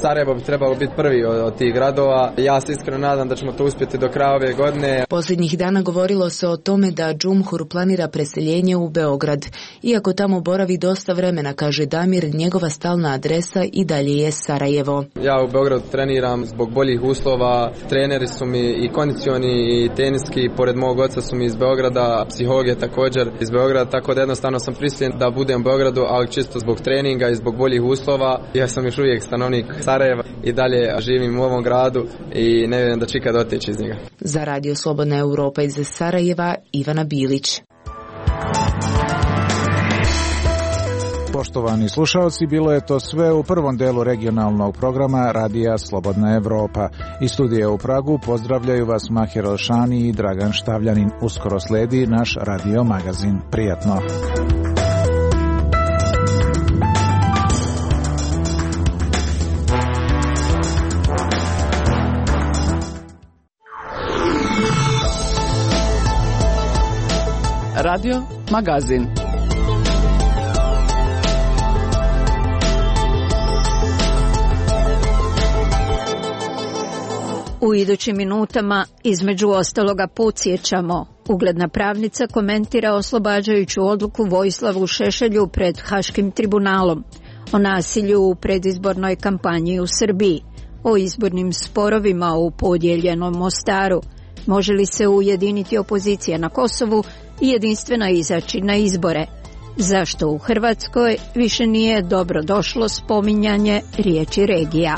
Sarajevo bi trebalo biti prvi od, od tih gradova. Ja se iskreno nadam da ćemo to uspjeti do kraja ove godine. Posljednjih dana govorilo se o tome da Džumhur planira preseljenje u Beograd. Iako tamo boravi dosta vremena, kaže Damir, njegova stalna adresa i dalje je Sarajevo. Ja u Beogradu treniram zbog boljih uslova. Treneri su mi i kondicioni i teniski, pored mog oca su mi iz Beograda, psiholog je također iz Beograda, tako da jednostavno sam prisiljen da budem u Beogradu, ali čisto zbog treninga i zbog boljih uslova. Ja sam još uvijek stanovnik Sarajeva i dalje živim u ovom gradu i ne vjerujem da ću ikad otići iz njega. Za Radio Slobodna Europa iz Sarajeva, Ivana Bilić. Poštovani slušalci, bilo je to sve u prvom delu regionalnog programa Radija Slobodna Evropa. Iz studija u Pragu pozdravljaju vas Mahir Elšani i Dragan Štavljanin. Uskoro sledi naš radio magazin. Prijatno! Radio magazin. U idućim minutama, između ostaloga, podsjećamo. Ugledna pravnica komentira oslobađajuću odluku Vojislavu Šešelju pred Haškim tribunalom, o nasilju u predizbornoj kampanji u Srbiji, o izbornim sporovima u podijeljenom Mostaru, može li se ujediniti opozicija na Kosovu i jedinstvena izaći na izbore, zašto u Hrvatskoj više nije dobro došlo spominjanje riječi regija.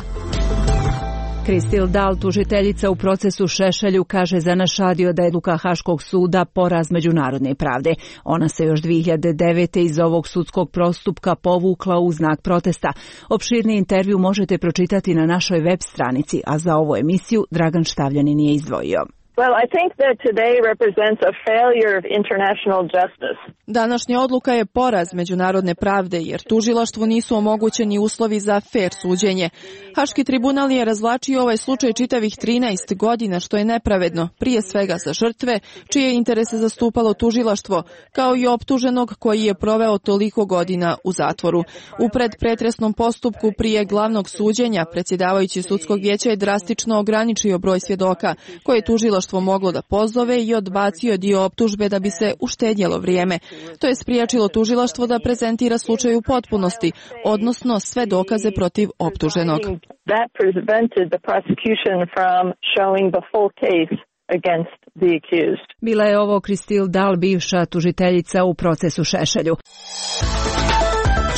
Kristil Dal, tužiteljica u procesu Šešelju, kaže za naš radio da je odluka Haškog suda poraz međunarodne pravde. Ona se još dvije hiljade devete iz ovog sudskog postupka povukla u znak protesta. Opširni intervju možete pročitati na našoj web stranici, a za ovu emisiju Dragan Štavljanin je izdvojio. Well, I think that today represents a failure of international justice. Današnja odluka je poraz međunarodne pravde, jer tužilaštvu nisu omogućeni uslovi za fer suđenje. Haški tribunal je razvlačio ovaj slučaj čitavih trinaest godina, što je nepravedno, prije svega za žrtve, čije interese zastupalo tužilaštvo, kao i optuženog koji je proveo toliko godina u zatvoru. U predpretresnom postupku prije glavnog suđenja, predsjedavajući sudskog vijeća je drastično ograničio broj svjedoka, koje je tužilaštvo moglo da pozove i odbacio dio optužbe da bi se uštedjelo vrijeme. To je spriječilo tužilaštvo da prezentira slučaj u potpunosti, odnosno sve dokaze protiv optuženog. Bila je ovo Kristil Dal, bivša tužiteljica u procesu Šešelju.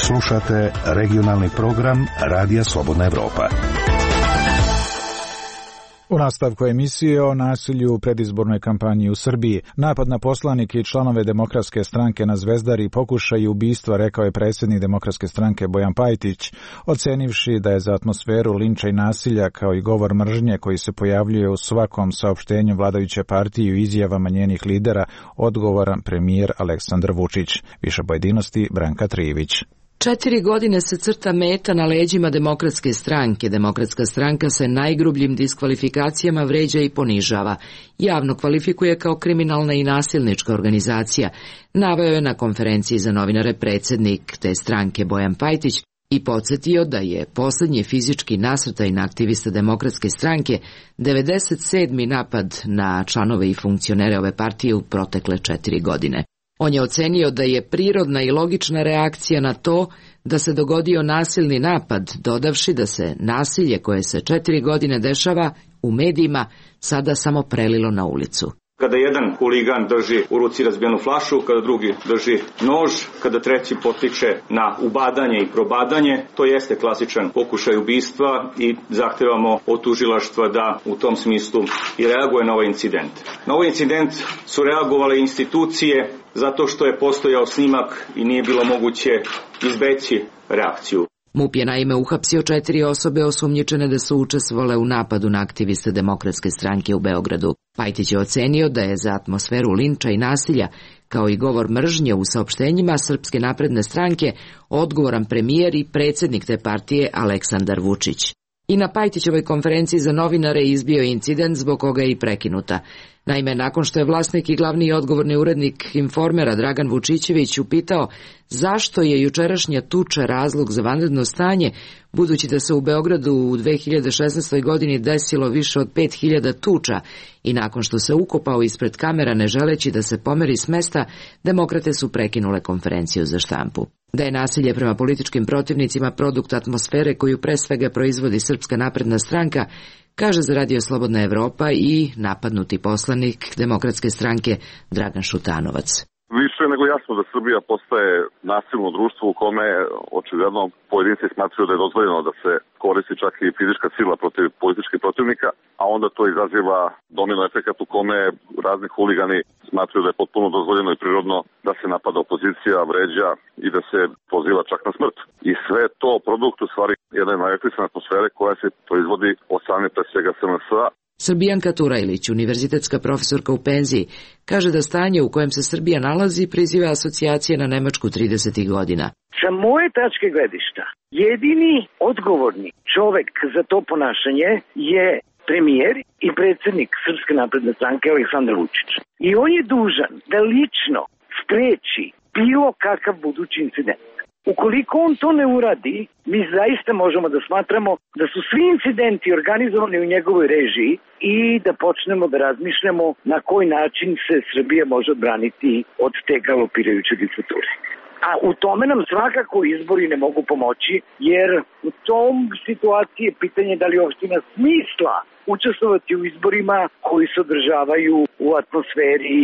Slušate regionalni program Radija Slobodna Evropa. U nastavku emisije o nasilju u predizbornoj kampanji u Srbiji. Napad na poslanike i članove Demokratske stranke na Zvezdari pokušaj ubistva, rekao je predsjednik Demokratske stranke Bojan Pajtić, ocenivši da je za atmosferu linča i nasilja kao i govor mržnje koji se pojavljuje u svakom saopštenju vladajuće partije i izjavama njenih lidera odgovoran premijer Aleksandar Vučić. Više pojedinosti Branka Trijević. Četiri godine se crta meta na leđima Demokratske stranke. Demokratska stranka se najgrubljim diskvalifikacijama vređa i ponižava. Javno kvalifikuje kao kriminalna i nasilnička organizacija. Naveo je na konferenciji za novinare predsjednik te stranke Bojan Pajtić i podsjetio da je posljednji fizički nasrtaj na aktiviste Demokratske stranke devedeset sedmi napad na članove i funkcionere ove partije u protekle četiri godine. On je ocenio da je prirodna i logična reakcija na to da se dogodio nasilni napad, dodavši da se nasilje koje se četiri godine dešava u medijima sada samo prelilo na ulicu. Kada jedan huligan drži u ruci razbijenu flašu, kada drugi drži nož, kada treći potiče na ubadanje i probadanje, to jeste klasičan pokušaj ubistva i zahtevamo od tužilaštva da u tom smislu i reaguje na ovaj incident. Na ovaj incident su reagovale institucije zato što je postojao snimak i nije bilo moguće izbeći reakciju. MUP je naime uhapsio četiri osobe osumnjičene da su učestvovale u napadu na aktiviste Demokratske stranke u Beogradu. Pajtić je ocenio da je za atmosferu linča i nasilja, kao i govor mržnje u saopštenjima Srpske napredne stranke, odgovoran premijer i predsjednik te partije Aleksandar Vučić. I na Pajtićevoj konferenciji za novinare izbio incident zbog koga je i prekinuta. Naime, nakon što je vlasnik i glavni odgovorni urednik Informera Dragan Vučićević upitao zašto je jučerašnja tuča razlog za vanredno stanje, budući da se u Beogradu u dve hiljade šesnaestoj. godini desilo više od pet hiljada tuča i nakon što se ukopao ispred kamera ne želeći da se pomeri s mesta, demokrate su prekinule konferenciju za štampu. Da je nasilje prema političkim protivnicima produkt atmosfere koju pre svega proizvodi Srpska napredna stranka, kaže za Radio Slobodna Evropa i napadnuti poslanik Demokratske stranke Dragan Šutanovac. Više nego jasno da Srbija postaje nasilno društvo u kome očigledno pojedinci smatraju da je dozvoljeno da se koristi čak i fizička sila protiv političkih protivnika, a onda to izaziva domino efekat u kome razni huligani smatraju da je potpuno dozvoljeno i prirodno da se napada opozicija, vređa i da se poziva čak na smrt. I sve to produkt u stvari jedne najaktivne atmosfere koja se proizvodi od same pre svega S N S-a. Srbijanka Turajlić, univerzitetska profesorka u penziji, kaže da stanje u kojem se Srbija nalazi priziva asocijacije na Nemačku tridesetih godina. Sa moje tačke gledišta, jedini odgovorni čovek za to ponašanje je premijer i predsjednik Srpske napredne stranke Aleksandar Vučić. I on je dužan da lično spreči bilo kakav budući incident. Ukoliko on to ne uradi, mi zaista možemo da smatramo da su svi incidenti organizovani u njegovoj režiji i da počnemo da razmišljamo na koji način se Srbija može odbraniti od te galopirajuće diktature. A u tome nam svakako izbori ne mogu pomoći, jer u tom situaciji je pitanje da li uopšte ima smisla učestvovati u izborima koji se održavaju u atmosferi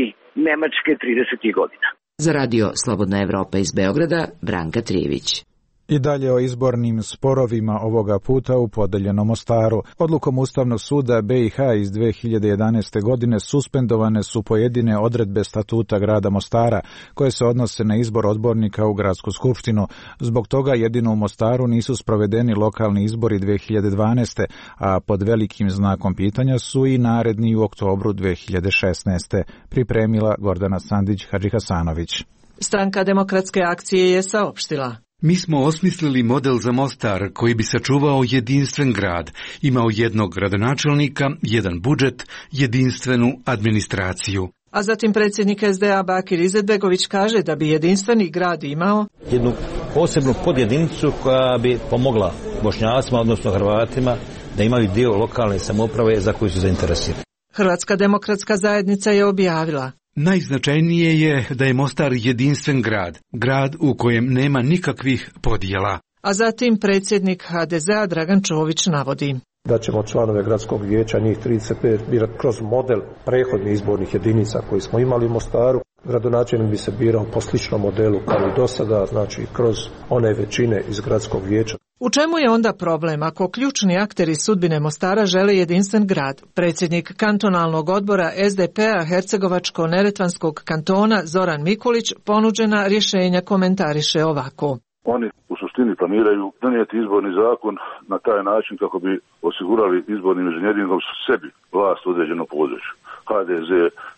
Nemačke tridesetih godina. Za Radio Slobodna Evropa iz Beograda, Branka Trijević. I dalje o izbornim sporovima ovoga puta u podeljenom Mostaru. Odlukom Ustavnog suda B i H iz dve hiljade jedanaeste. godine suspendovane su pojedine odredbe statuta grada Mostara koje se odnose na izbor odbornika u gradsku skupštinu. Zbog toga jedino u Mostaru nisu sprovedeni lokalni izbori dve hiljade dvanaeste. a pod velikim znakom pitanja su i naredni u oktobru dve hiljade šesnaeste. pripremila Gordana Sandić-Hadžihasanović. Stranka Demokratske akcije je saopštila: Mi smo osmislili model za Mostar koji bi sačuvao jedinstven grad, imao jednog gradonačelnika, jedan budžet, jedinstvenu administraciju. A zatim predsjednik S D A Bakir Izetbegović kaže da bi jedinstveni grad imao jednu posebnu podjedinicu koja bi pomogla Bošnjacima, odnosno Hrvatima, da imaju dio lokalne samouprave za koju su zainteresirani. Hrvatska demokratska zajednica je objavila: Najznačajnije je da je Mostar jedinstven grad, grad u kojem nema nikakvih podjela. A zatim predsjednik H D Z-a Dragan Čović navodi: Da ćemo članove gradskog vijeća, njih trideset pet, birati kroz model prethodnih izbornih jedinica koji smo imali u Mostaru. Gradonačelnik bi se birao po sličnom modelu kao i do sada, znači kroz one većine iz gradskog vijeća. U čemu je onda problem ako ključni akteri sudbine Mostara žele jedinstven grad? Predsjednik kantonalnog odbora S D P-a Hercegovačko-Neretvanskog kantona Zoran Mikulić ponuđena rješenja komentariše ovako: Oni u suštini planiraju donijeti izborni zakon na taj način kako bi osigurali izbornim inženjeringom sebi vlast u određenom području. H D Z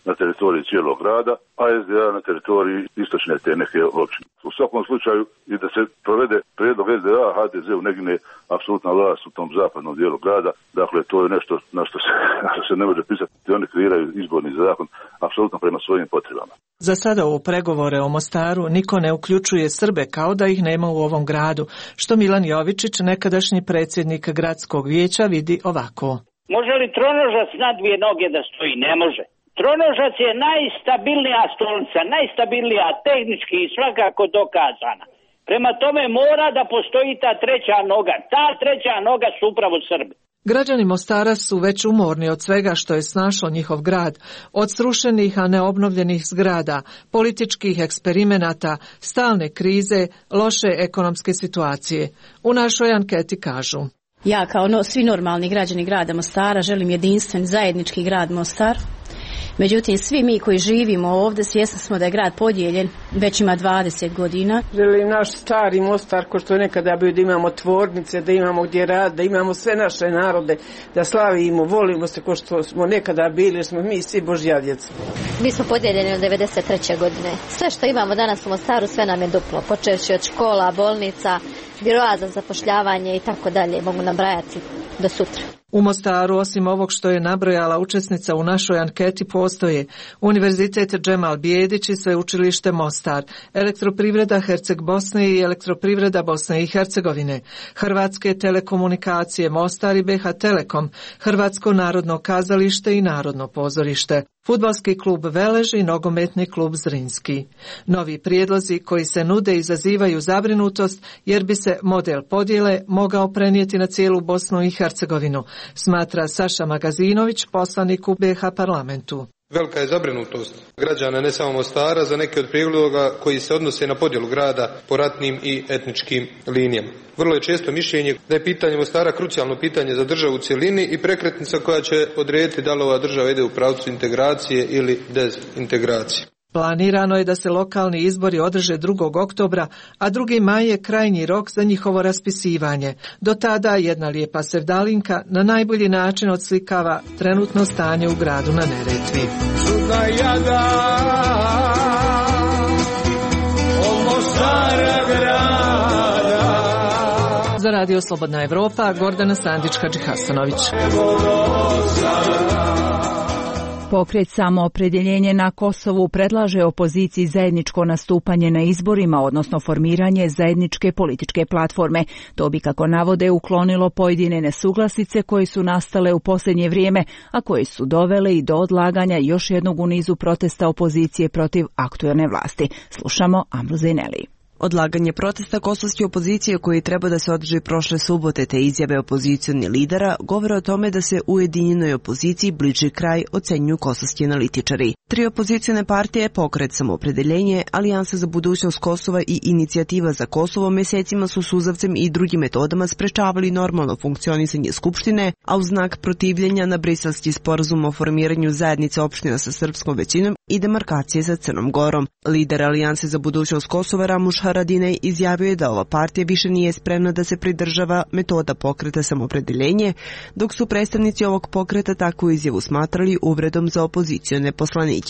na teritoriji cijelog grada, a S D A na teritoriji istočne te neke općine. U svakom slučaju i da se provede prijedlog S D A, H D Z-u negne apsolutna vlast u tom zapadnom dijelu grada. Dakle, to je nešto na što se, na što se ne može pisati. Oni kreiraju izborni zakon apsolutno prema svojim potrebama. Za sada u pregovore o Mostaru niko ne uključuje Srbe kao da ih nema u ovom gradu, što Milan Jovičić, nekadašnji predsjednik gradskog vijeća, vidi ovako: Može li tronožac na dvije noge da stoji? Ne može. Tronožac je najstabilnija stolica, najstabilnija tehnički i svakako dokazana. Prema tome mora da postoji ta treća noga. Ta treća noga su upravo Srbi. Građani Mostara su već umorni od svega što je snašlo njihov grad, od srušenih a neobnovljenih zgrada, političkih eksperimenata, stalne krize, loše ekonomske situacije. U našoj anketi kažu: Ja kao no, svi normalni građani grada Mostara želim jedinstven zajednički grad Mostar. Međutim, svi mi koji živimo ovdje svjesni smo da je grad podijeljen, već ima dvadeset godina. Želim naš stari Mostar, ko što je nekada bio, da imamo tvornice, da imamo gdje rad, da imamo sve naše narode, da slavimo, volimo se ko što smo nekada bili, jer smo mi svi Božja djeca. Mi smo podijeljeni od devedeset treće godine. Sve što imamo danas u Mostaru, sve nam je duplo, počevši od škola, bolnica, biroa za zapošljavanje i tako dalje, mogu nabrajati do sutra. U Mostaru, osim ovog što je nabrojala učesnica u našoj anketi, postoje Univerzitet Džemal Bijedić i Sveučilište Mostar, Elektroprivreda Herceg Bosne i Elektroprivreda Bosne i Hercegovine, Hrvatske telekomunikacije Mostar i B H Telekom, Hrvatsko narodno kazalište i Narodno pozorište, Fudbalski klub Velež i Nogometni klub Zrinski. Novi prijedlozi koji se nude izazivaju zabrinutost jer bi se model podjele mogao prenijeti na cijelu Bosnu i Hercegovinu, smatra Saša Magazinović, poslanik u B H parlamentu. Velika je zabrinutost građana ne samo Mostara za neke od prijedloga koji se odnose na podjelu grada po ratnim i etničkim linijama. Vrlo je često mišljenje da je pitanje Mostara krucijalno pitanje za državu u cjelini i prekretnica koja će odrediti da li ova država ide u pravcu integracije ili dezintegracije. Planirano je da se lokalni izbori održe drugog oktobra, a drugi maj je krajnji rok za njihovo raspisivanje. Do tada jedna lijepa sevdalinka na najbolji način odslikava trenutno stanje u gradu na Neretvi. Čudna jada, ovo stara grada. Za Radio Slobodna Evropa, Gordana Sandić-Hadžihasanović. Pokret Samoopredjeljenje na Kosovu predlaže opoziciji zajedničko nastupanje na izborima, odnosno formiranje zajedničke političke platforme. To bi, kako navode, uklonilo pojedine nesuglasice koje su nastale u posljednje vrijeme, a koje su dovele i do odlaganja još jednog u nizu protesta opozicije protiv aktuelne vlasti. Slušamo Amru Zejneli. Odlaganje protesta kosovske opozicije koji treba da se održi prošle subote te izjave opozicionih lidera govore o tome da se ujedinjenoj opoziciji bliži kraj, ocenjuju kosovski analitičari. Tri opozicione partije, Pokret Samoopredeljenje, Alijansa za budućnost Kosova i Inicijativa za Kosovo mjesecima su suzavcem i drugim metodama sprečavali normalno funkcionisanje Skupštine, a u znak protivljenja na briselski sporazum o formiranju zajednice opština sa srpskom većinom i demarkacije sa Crnom Gorom. Lider Alijanse za budućnost Kosova Ramuš Haradinaj izjavio je da ova partija više nije spremna da se pridržava metoda Pokreta Samoopredeljenje, dok su predstavnici ovog pokreta takvu izjavu smatrali uvredom za opozicione poslanike.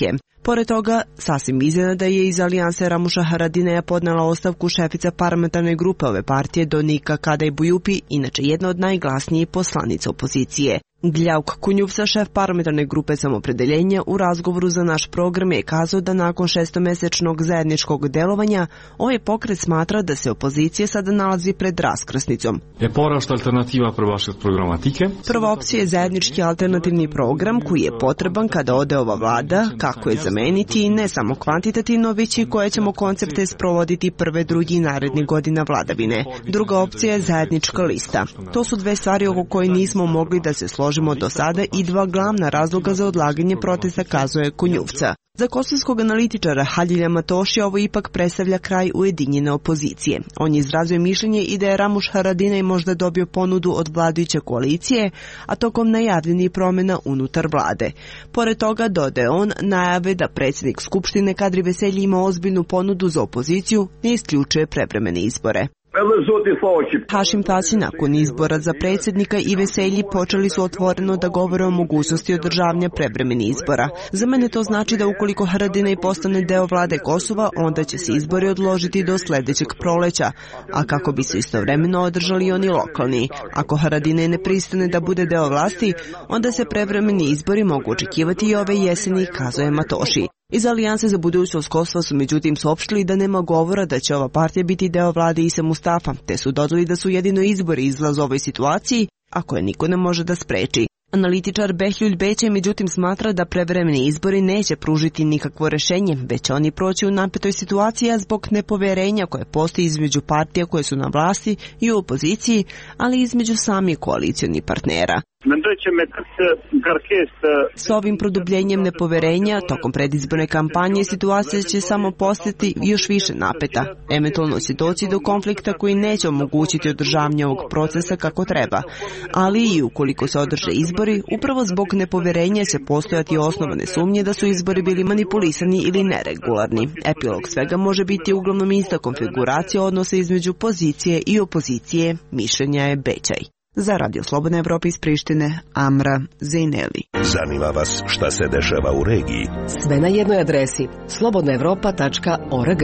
Pored toga, sasvim iznenada je iz Alijanse Ramuša Haradineja podnela ostavku šefica parlamentarne grupe ove partije Donika Kadaj Bujupi, inače jedna od najglasnijih poslanica opozicije. Gljauk Kunjuvsa, šef parlamentarne grupe Samoopredeljenja, u razgovoru za naš program je kazao da nakon šestomesečnog zajedničkog delovanja ovaj pokret smatra da se opozicija sada nalazi pred raskrsnicom. Je porašta alternativa prvaške programatike. Prva opcija je zajednički alternativni program koji je potreban kada ode ova vlada, kako je zameniti ne samo kvantitativno, već i koje ćemo koncepte sprovoditi prve, drugi i narednih godina vladavine. Druga opcija je zajednička lista. To su dve stvari oko koje nismo mogli da se složimo do sada i dva glavna razloga za odlaganje protesta, kazuje Kunjuvca. Za kosovskog analitičara Haljilja Matoši ovo ipak predstavlja kraj ujedinjene opozicije. On je izrazio mišljenje i da je Ramuš Haradinaj možda dobio ponudu od vladajuće koalicije, a tokom najavljenih promjena unutar vlade. Pored toga, dodaje on, najave da predsjednik Skupštine Kadri Veselji ima ozbiljnu ponudu za opoziciju, ne isključuje prevremene izbore. Hašim Tasi nakon izbora za predsjednika i Veselji počeli su otvoreno da govore o mogućnosti održavanja prevremenih izbora. Za mene to znači da ukoliko Haradinaj postane deo vlade Kosova, onda će se izbori odložiti do sljedećeg proleća, a kako bi se istovremeno održali oni lokalni. Ako Haradinaj ne pristane da bude deo vlasti, onda se prevremeni izbori mogu očekivati i ove jeseni, kazuje Matoši. Iz Alijanse za budućnost Kosova su međutim saopštili da nema govora da će ova partija biti deo vlade Ise Mustafa, te su dodali da su jedino izbori izlaz ovoj situaciji, a koje niko ne može da spreči. Analitičar Behljuljt Bećaj međutim smatra da prevremeni izbori neće pružiti nikakvo rješenje, već oni proći u napetoj situaciji zbog nepoverenja koje postoji između partija koje su na vlasti i u opoziciji, ali i između samih koalicionih partnera. S ovim produbljenjem nepoverenja tokom predizborne kampanje situacija će samo postati još više napeta, eventualno će doći do konflikta koji neće omogućiti održavanje ovog procesa kako treba, ali i ukoliko se održe izbori, upravo zbog nepoverenja će postojati osnovane sumnje da su izbori bili manipulisani ili neregularni. Epilog svega može biti uglavnom ista konfiguracija odnosa između pozicije i opozicije, mišljenja je Bećaj. Za Radio Slobodna Evropa iz Prištine, Amra Zejneli. Zanima vas šta se dešava u regiji? Sve na jednoj adresi slobodna evropa tačka org.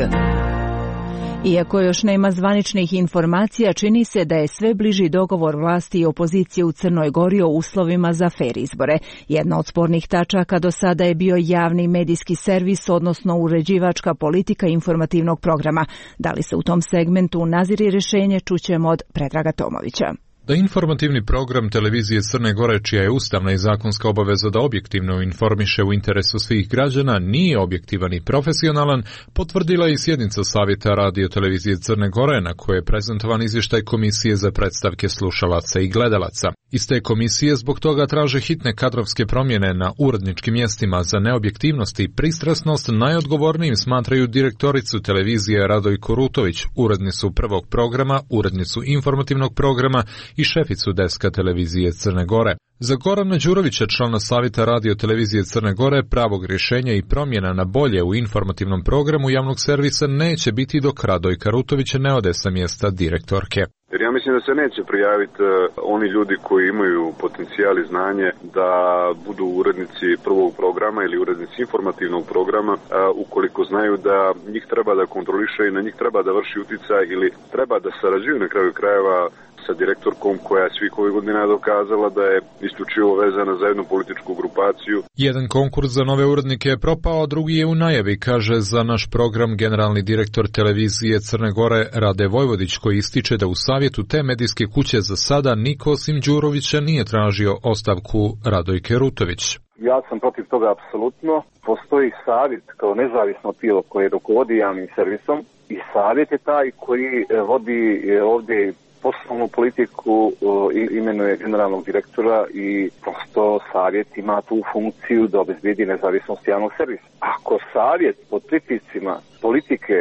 Iako još nema zvaničnih informacija, čini se da je sve bliži dogovor vlasti i opozicije u Crnoj Gori o uslovima za fer izbore. Jedna od spornih tačaka do sada je bio javni medijski servis, odnosno uređivačka politika informativnog programa. Da li se u tom segmentu nazire rješenje, čućemo od Predraga Tomovića. Da informativni program televizije Crne Gore, čija je ustavna i zakonska obaveza da objektivno informiše u interesu svih građana, nije objektivan i profesionalan, potvrdila je i sjednica Savjeta radio televizije Crne Gore, na kojoj je prezentovan izvještaj Komisije za predstavke slušalaca i gledalaca. Iz te komisije zbog toga traže hitne kadrovske promjene na uredničkim mjestima. Za neobjektivnost i pristrasnost najodgovornijim smatraju direktoricu televizije Radojku Rutović, urednicu prvog programa, urednicu informativnog programa i šeficu deska televizije Crne Gore. Za Gorana Đurovića, člana Savjeta radio televizije Crne Gore, pravog rješenja i promjena na bolje u informativnom programu javnog servisa neće biti dok Radojka Rutović ne ode sa mjesta direktorke. Jer ja mislim da se neće prijaviti uh, oni ljudi koji imaju potencijal i znanje da budu urednici prvog programa ili urednici informativnog programa uh, ukoliko znaju da njih treba da kontroliše i na njih treba da vrši utjecaj ili treba da sarađuju na kraju krajeva sa direktorkom koja je svih ovih godina dokazala da je isključivo vezana za jednu političku grupaciju. Jedan konkurs za nove urednike je propao, a drugi je u najavi, kaže za naš program generalni direktor televizije Crne Gore Rade Vojvodić, koji ističe da u savjetu te medijske kuće za sada niko osim Đurovića nije tražio ostavku Radojke Rutović. Ja sam protiv toga apsolutno. Postoji savjet kao nezavisno tijelo koje rukovodi javnim servisom i savjet je taj koji vodi ovdje poslovnu politiku, imenuje generalnog direktora i prosto savjet ima tu funkciju da obezbedi nezavisnost javnog servisa. Ako savjet pod pritiscima politike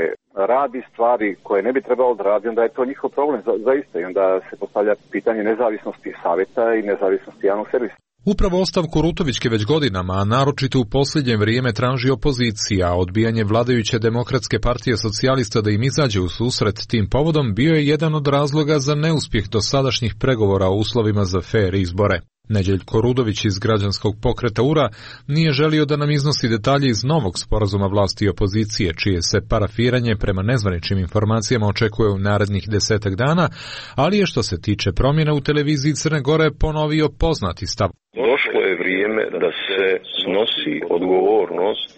radi stvari koje ne bi trebalo da radi, onda je to njihov problem za, zaista i onda se postavlja pitanje nezavisnosti savjeta i nezavisnosti javnog servisa. Upravo ostavku Rutovićke već godinama, a naročito u posljednje vrijeme traži opozicija, a odbijanje vladajuće Demokratske partije socijalista da im izađe u susret tim povodom bio je jedan od razloga za neuspjeh dosadašnjih pregovora o uslovima za fer izbore. Neđeljko Rudović iz građanskog pokreta U R A nije želio da nam iznosi detalje iz novog sporazuma vlasti i opozicije, čije se parafiranje prema nezvaničnim informacijama očekuje u narednih desetak dana, ali je što se tiče promjena u televiziji Crne Gore ponovio poznati stav. Došlo je vrijeme da se snosi odgovornost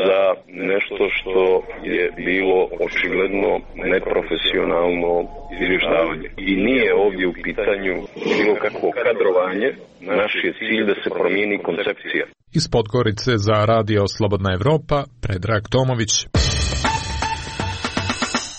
za nešto što je bilo očigledno neprofesionalno izvještavanje. I nije ovdje u pitanju bilo kakvo kadrovanje, naš je cilj da se promijeni koncepcija. Iz Podgorice za Radio Slobodna Evropa, Predrag Tomović.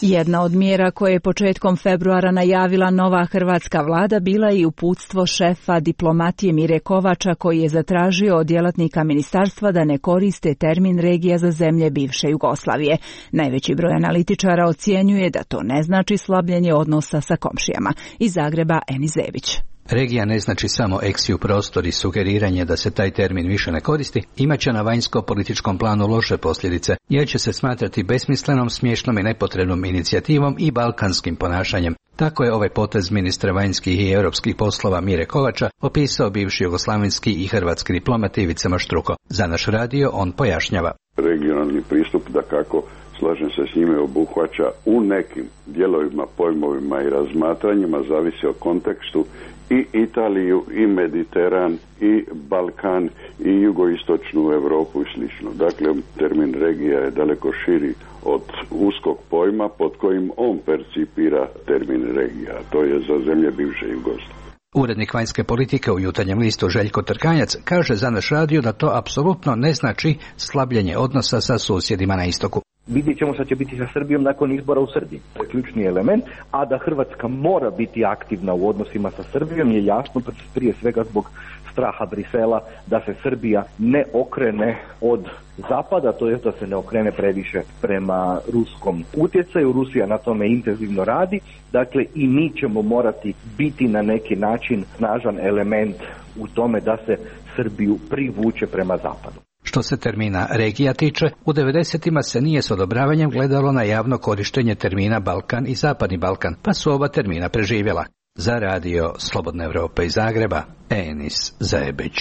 Jedna od mjera koje je početkom februara najavila nova hrvatska vlada bila i uputstvo šefa diplomatije Mire Kovača, koji je zatražio od djelatnika ministarstva da ne koriste termin regija za zemlje bivše Jugoslavije. Najveći broj analitičara ocjenjuje da to ne znači slabljenje odnosa sa komšijama. Iz Zagreba, Eni Zebić. Regija ne znači samo eksiju prostor i sugeriranje da se taj termin više ne koristi, imaće na vanjsko-političkom planu loše posljedice, jer će se smatrati besmislenom, smiješnom i nepotrebnom inicijativom i balkanskim ponašanjem. Tako je ovaj potez ministra vanjskih i europskih poslova Mire Kovača opisao bivši jugoslavenski i hrvatski diplomat Ivica Maštruko. Za naš radio on pojašnjava. Regionalni pristup, da kako slažem se s njime, obuhvaća u nekim dijelovima, pojmovima i razmatranjima, zavisi o kontekstu, i Italiju, i Mediteran, i Balkan, i jugoistočnu Europu i slično. Dakle, termin regija je daleko širi od uskog pojma pod kojim on percipira termin regija. To je za zemlje bivše Jugoslavije. Urednik vanjske politike u Jutarnjem listu Željko Trkanjac kaže za naš radio da to apsolutno ne znači slabljenje odnosa sa susjedima na istoku. Vidjet ćemo šta će biti sa Srbijom nakon izbora u Srbiji. To je ključni element, a da Hrvatska mora biti aktivna u odnosima sa Srbijom je jasno prije svega zbog straha Brisela da se Srbija ne okrene od zapada, to je da se ne okrene previše prema ruskom utjecaju. Rusija na tome intenzivno radi, dakle i mi ćemo morati biti na neki način snažan element u tome da se Srbiju privuče prema zapadu. Što se termina regija tiče, u devedesetima se nije s odobravanjem gledalo na javno korištenje termina Balkan i Zapadni Balkan, pa su oba termina preživjela. Za radio Slobodna Evropa iz Zagreba, Enis Zajebić.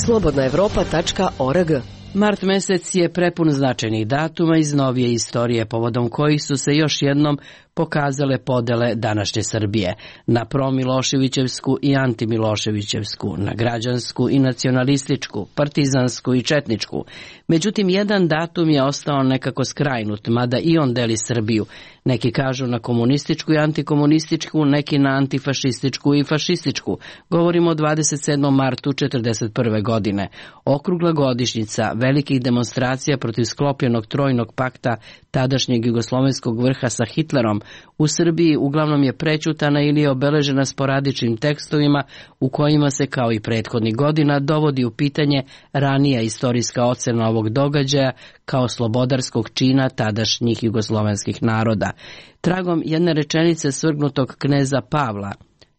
slobodna evropa tačka org. Mart mesec je prepun značajnih datuma iz novije istorije, povodom kojih su se još jednom pokazale podele današnje Srbije na promiloševićevsku i antimiloševićevsku, na građansku i nacionalističku, partizansku i četničku. Međutim, jedan datum je ostao nekako skrajnut, mada i on deli Srbiju. Neki kažu na komunističku i antikomunističku, neki na antifašističku i fašističku. Govorimo o dvadeset sedmom martu četrdeset prve godine. Okrugla godišnjica velikih demonstracija protiv sklopljenog trojnog pakta tadašnjeg jugoslovenskog vrha sa Hitlerom u Srbiji uglavnom je prećutana ili je obeležena sporadičnim tekstovima u kojima se, kao i prethodnih godina, dovodi u pitanje ranija istorijska ocena ovog događaja kao slobodarskog čina tadašnjih jugoslovenskih naroda. Tragom jedne rečenice svrgnutog kneza Pavla,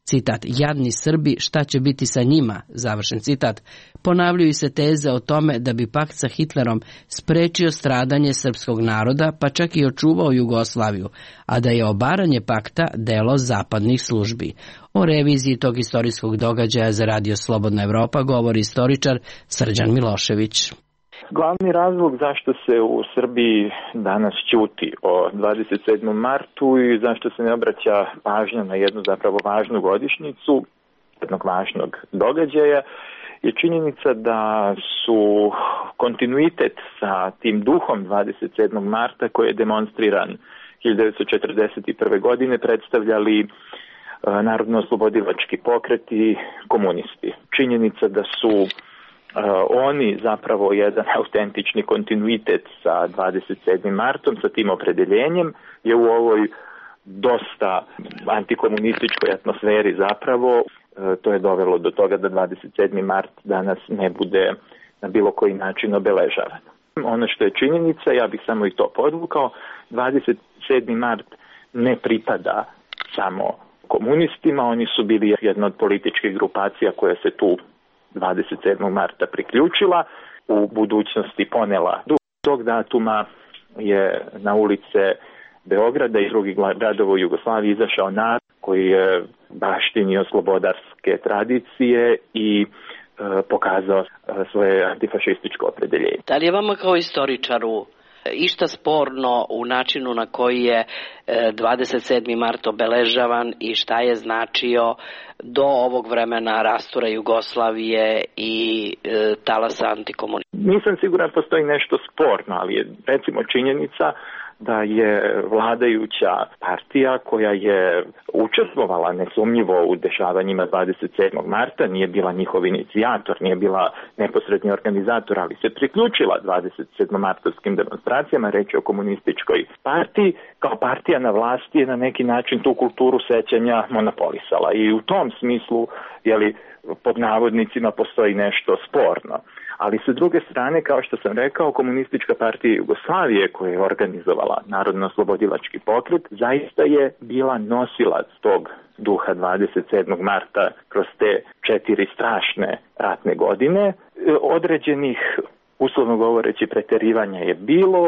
citat, jadni Srbi, šta će biti sa njima, završen citat, ponavljaju se teze o tome da bi pakt sa Hitlerom sprečio stradanje srpskog naroda, pa čak i očuvao Jugoslaviju, a da je obaranje pakta delo zapadnih službi. O reviziji tog istorijskog događaja za Radio Slobodna Evropa govori istoričar Srđan Milošević. Glavni razlog zašto se u Srbiji danas ćuti o dvadeset sedmom martu i zašto se ne obraća pažnja na jednu zapravo važnu godišnjicu, jednog važnog događaja, je činjenica da su kontinuitet sa tim duhom dvadeset sedmog marta koji je demonstriran hiljadu devetsto četrdeset prve godine predstavljali narodno-oslobodilački pokret i komunisti. Činjenica da su Uh, oni zapravo jedan autentični kontinuitet sa dvadeset sedmim martom, sa tim opredeljenjem, je u ovoj dosta antikomunističkoj atmosferi zapravo, uh, to je dovelo do toga da dvadeset sedmi mart danas ne bude na bilo koji način obeležavan. Ono što je činjenica, ja bih samo i to podvukao, dvadeset sedmi mart ne pripada samo komunistima, oni su bili jedna od političkih grupacija koja se tu dvadeset sedmog marta priključila, u budućnosti ponela. Do tog datuma je na ulice Beograda i drugih gradova u Jugoslaviji izašao narod koji je baštinio slobodarske tradicije i e, pokazao e, svoje antifašističko opredeljenje. Da li je vama kao istoričaru išta sporno u načinu na koji je dvadeset sedmi mart obeležavan i šta je značio do ovog vremena rastura Jugoslavije i e, talasa antikomunizma? Nisam siguran postoji nešto sporno, ali je recimo činjenica da je vladajuća partija koja je učestvovala nesumnjivo u dešavanjima dvadeset sedmog marta, nije bila njihov inicijator, nije bila neposredni organizator, ali se priključila dvadeset sedmomartovskim demonstracijama, reći o komunističkoj partiji, kao partija na vlasti je na neki način tu kulturu sećanja monopolisala. I u tom smislu, jeli, pod navodnicima postoji nešto sporno. Ali sa druge strane, kao što sam rekao, Komunistička partija Jugoslavije koja je organizovala Narodno-oslobodilački pokret, zaista je bila nosilac tog duha dvadeset sedmog marta kroz te četiri strašne ratne godine. Određenih, uslovno govoreći, preterivanja je bilo,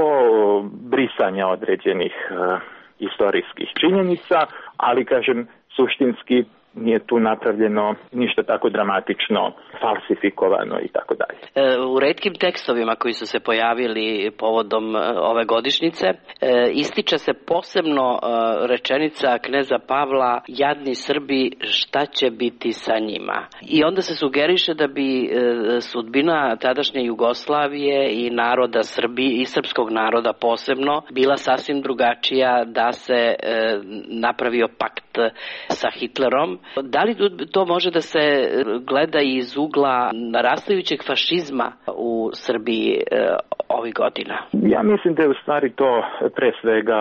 brisanja određenih uh, istorijskih činjenica, ali, kažem, suštinski nije tu napravljeno ništa tako dramatično, falsifikovano i tako dalje. U retkim tekstovima koji su se pojavili povodom ove godišnjice ističe se posebno rečenica kneza Pavla, jadni Srbi, šta će biti sa njima? I onda se sugeriše da bi sudbina tadašnje Jugoslavije i naroda Srbi i srpskog naroda posebno bila sasvim drugačija da se napravio pakt sa Hitlerom. Da li to može da se gleda iz ugla narastajućeg fašizma u Srbiji e, ovih godina? Ja mislim da je u stvari to pre svega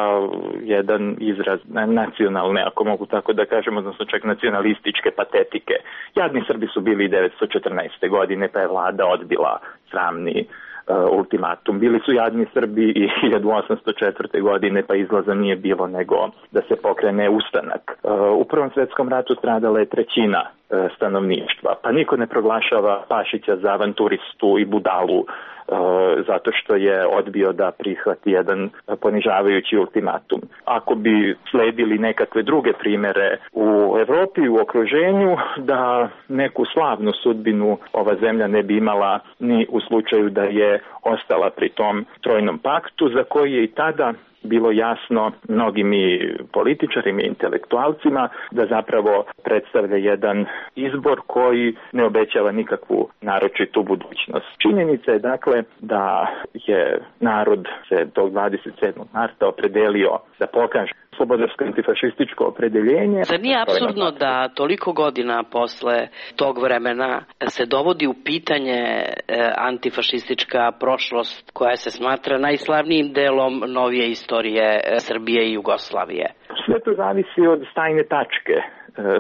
jedan izraz nacionalne, ako mogu tako da kažem, odnosno čak nacionalističke patetike. Jadni Srbi su bili devetsto četrnaeste. godine, pa je vlada odbila sramni Uh, ultimatum. Bili su jadni Srbi i hiljadu osamsto četvrte. godine, pa izlaza nije bilo nego da se pokrene ustanak. Uh, u Prvom svetskom ratu stradala je trećina uh, stanovništva, pa niko ne proglašava Pašića za avanturistu i budalu zato što je odbio da prihvati jedan ponižavajući ultimatum. Ako bi sledili nekakve druge primere u Evropi, u okruženju, da neku slavnu sudbinu ova zemlja ne bi imala ni u slučaju da je ostala pri tom trojnom paktu, za koji je i tada bilo jasno mnogim i političarima i intelektualcima da zapravo predstavlja jedan izbor koji ne obećava nikakvu naročitu budućnost. Činjenica je dakle da je narod se tog dvadeset sedmog marta opredelio da pokaže slobodarsko antifašističko opredeljenje. Zar nije apsurdno da toliko godina posle tog vremena se dovodi u pitanje antifašistička prošlost koja se smatra najslavnijim delom novije istorije Srbije i Jugoslavije? Sve to zavisi od stajne tačke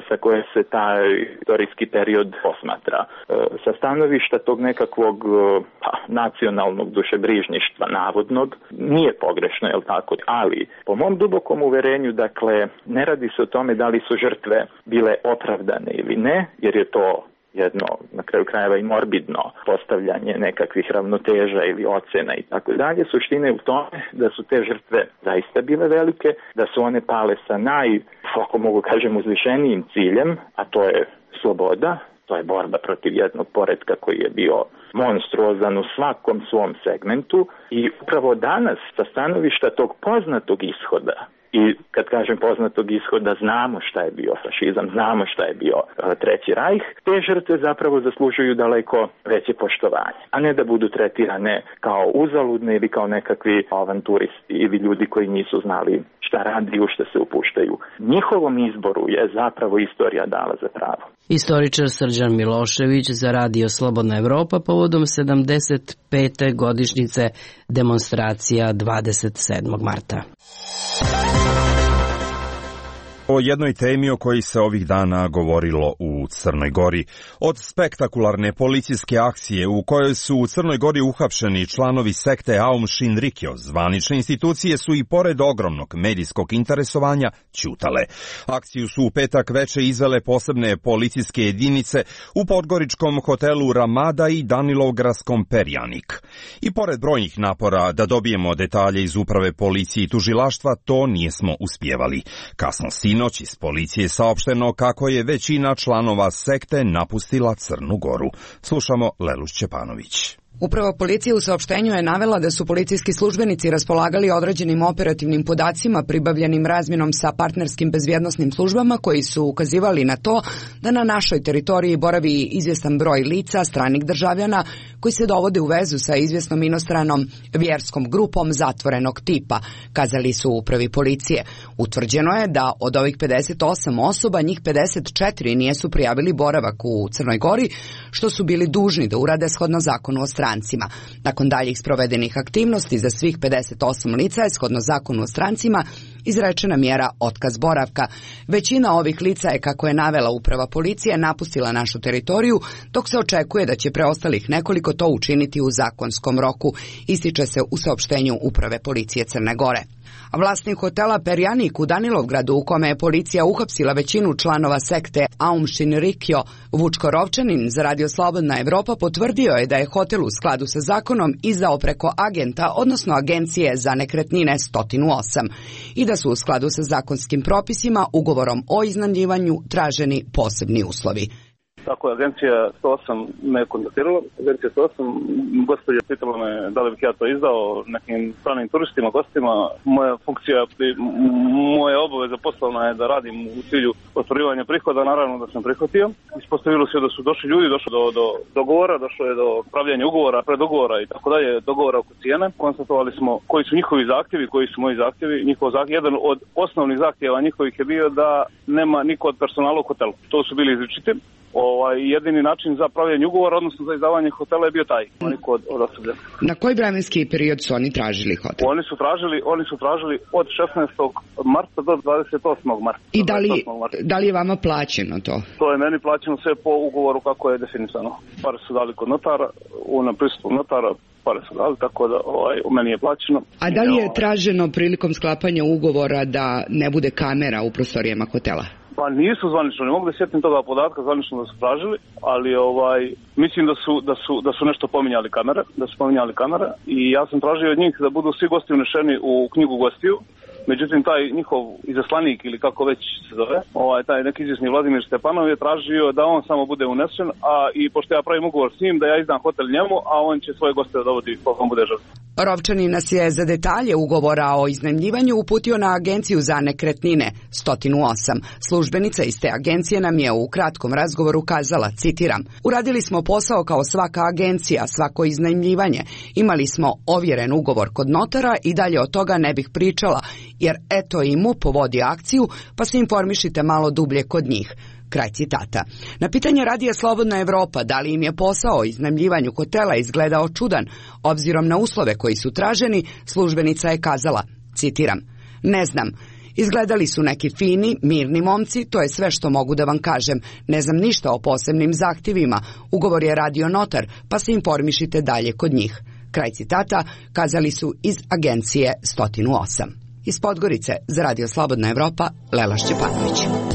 sa koje se taj istorijski period posmatra. Sa stanovišta tog nekakvog pa, nacionalnog dušebrižništva navodnog nije pogrešno, je li tako? Ali po mom dubokom uverenju, dakle, ne radi se o tome da li su žrtve bile opravdane ili ne, jer je to jedno, na kraju krajeva i morbidno postavljanje nekakvih ravnoteža ili ocena i tako dalje. Suština je u tome da su te žrtve zaista bile velike, da su one pale sa naj, ako mogu kažem, uzvišenijim ciljem, a to je sloboda, to je borba protiv jednog poretka koji je bio monstruozan u svakom svom segmentu i upravo danas sa stanovišta tog poznatog ishoda, i kad kažem poznatog ishoda, znamo šta je bio fašizam, znamo šta je bio uh, Treći rajh, te žrtve zapravo zaslužuju daleko veće poštovanje, a ne da budu tretirane kao uzaludne ili kao nekakvi avanturisti ili ljudi koji nisu znali šta radi i u šta se upuštaju. Njihovom izboru je zapravo istorija dala za pravo. Istoričar Srđan Milošević za Radio Slobodna Evropa povodom sedamdeset pete godišnjice demonstracija dvadeset sedmog marta. O jednoj temi o kojoj se ovih dana govorilo u Crnoj Gori. Od spektakularne policijske akcije u kojoj su u Crnoj Gori uhapšeni članovi sekte Aum Shinrikyo, zvanične institucije su i pored ogromnog medijskog interesovanja ćutale. Akciju su u petak veče izvele posebne policijske jedinice u podgoričkom hotelu Ramada i Danilovgradskom Perjanik. I pored brojnih napora da dobijemo detalje iz uprave policije i tužilaštva, to nijesmo uspjevali. Kasno sinoć iz policije je saopšteno kako je većina članova sekte napustila Crnu Goru. Slušamo Lelu Šćepanović. Uprava policije u saopštenju je navela da su policijski službenici raspolagali određenim operativnim podacima pribavljenim razmjenom sa partnerskim bezbjednosnim službama koji su ukazivali na to da na našoj teritoriji boravi izvjestan broj lica, stranih državljana, koji se dovode u vezu sa izvjesnom inostranom vjerskom grupom zatvorenog tipa, kazali su u upravi policije. Utvrđeno je da od ovih pedeset osam osoba, njih pedeset četiri nijesu prijavili boravak u Crnoj Gori, što su bili dužni da urade shodno zakonu o strancima. Nakon daljih sprovedenih aktivnosti za svih pedeset osam lica je shodno zakonu o strancima izrečena mjera otkaz boravka. Većina ovih lica je, kako je navela uprava policije, napustila našu teritoriju, dok se očekuje da će preostalih nekoliko to učiniti u zakonskom roku, ističe se u saopštenju uprave policije Crne Gore. Vlasnik hotela Perjanik u Danilovgradu, u kome je policija uhapsila većinu članova sekte Aum Shinrikyo, Vučko Rovčanin za Radio Slobodna Evropa potvrdio je da je hotel u skladu sa zakonom izdao preko agenta, odnosno agencije za nekretnine sto osam, i da su u skladu sa zakonskim propisima ugovorom o iznajmljivanju traženi posebni uslovi. Tako je, agencija sto osam me kontaktirala. Agencija sto osam, gospođa pitala me da li bih ja to izdao nekim stranim turistima, gostima. Moja funkcija, moja obaveza poslovna je da radim u cilju ostvarivanja prihoda, naravno da sam prihvatio. Ispostavilo se da su došli ljudi, došlo do, do dogovora, došlo je do pravljanja ugovora, predogovora i tako dalje, dogovora oko cijene. Konstatovali smo koji su njihovi zahtjevi, koji su moji zahtjevi. Njihov zahtjev, jedan od osnovnih zahtjeva njihovih je bio da nema niko od personala u hotelu. To su bili izričiti. Ovaj, jedini način za pravljanje ugovora, odnosno za izdavanje hotela je bio taj, oni kod od osoblja. Na koji vremenski period su oni tražili hotel? Oni su tražili, oni su tražili od šesnaestog marta do dvadeset osmog marta. I da li, da li je vama plaćeno to? To je meni plaćeno sve po ugovoru kako je definisano. Pare su dali kod notara, u na pristupu notara, pare su dali, tako da ovaj, u meni je plaćeno. A da li je traženo prilikom sklapanja ugovora da ne bude kamera u prostorijama hotela? Pa nisu zvanično, ne mogu da sjetim toga podatka zvanično da su tražili, ali ovaj mislim da su da su da su nešto pominjali kamere, da su pominjali kamere i ja sam tražio od njih da budu svi gosti unešeni u knjigu gostiju. Međutim, taj njihov izaslanik ili kako već se zove, ovaj, taj neki izvjesni Vladimir Stepanov je tražio da on samo bude unesen, a i pošto ja pravim ugovor s njim da ja izdam hotel njemu, a on će svoje goste da dovodi koliko on bude želio. Rovčanin nas je za detalje ugovora o iznajmljivanju uputio na Agenciju za nekretnine sto osam. Službenica iz te agencije nam je u kratkom razgovoru kazala, citiram, uradili smo posao kao svaka agencija, svako iznajmljivanje. Imali smo ovjeren ugovor kod notara i dalje od toga ne bih pričala, jer eto i M U P vodi akciju, pa se informišite malo dublje kod njih. Kraj citata. Na pitanje Radija Slobodna Evropa da li im je posao o iznajmljivanju hotela izgledao čudan, obzirom na uslove koji su traženi, službenica je kazala, citiram, ne znam, izgledali su neki fini, mirni momci, to je sve što mogu da vam kažem, ne znam ništa o posebnim zahtjevima, ugovor je radio notar, pa se informišite dalje kod njih. Kraj citata, kazali su iz Agencije sto osam. Iz Podgorice za Radio Slobodna Evropa, Lela Šćepanović.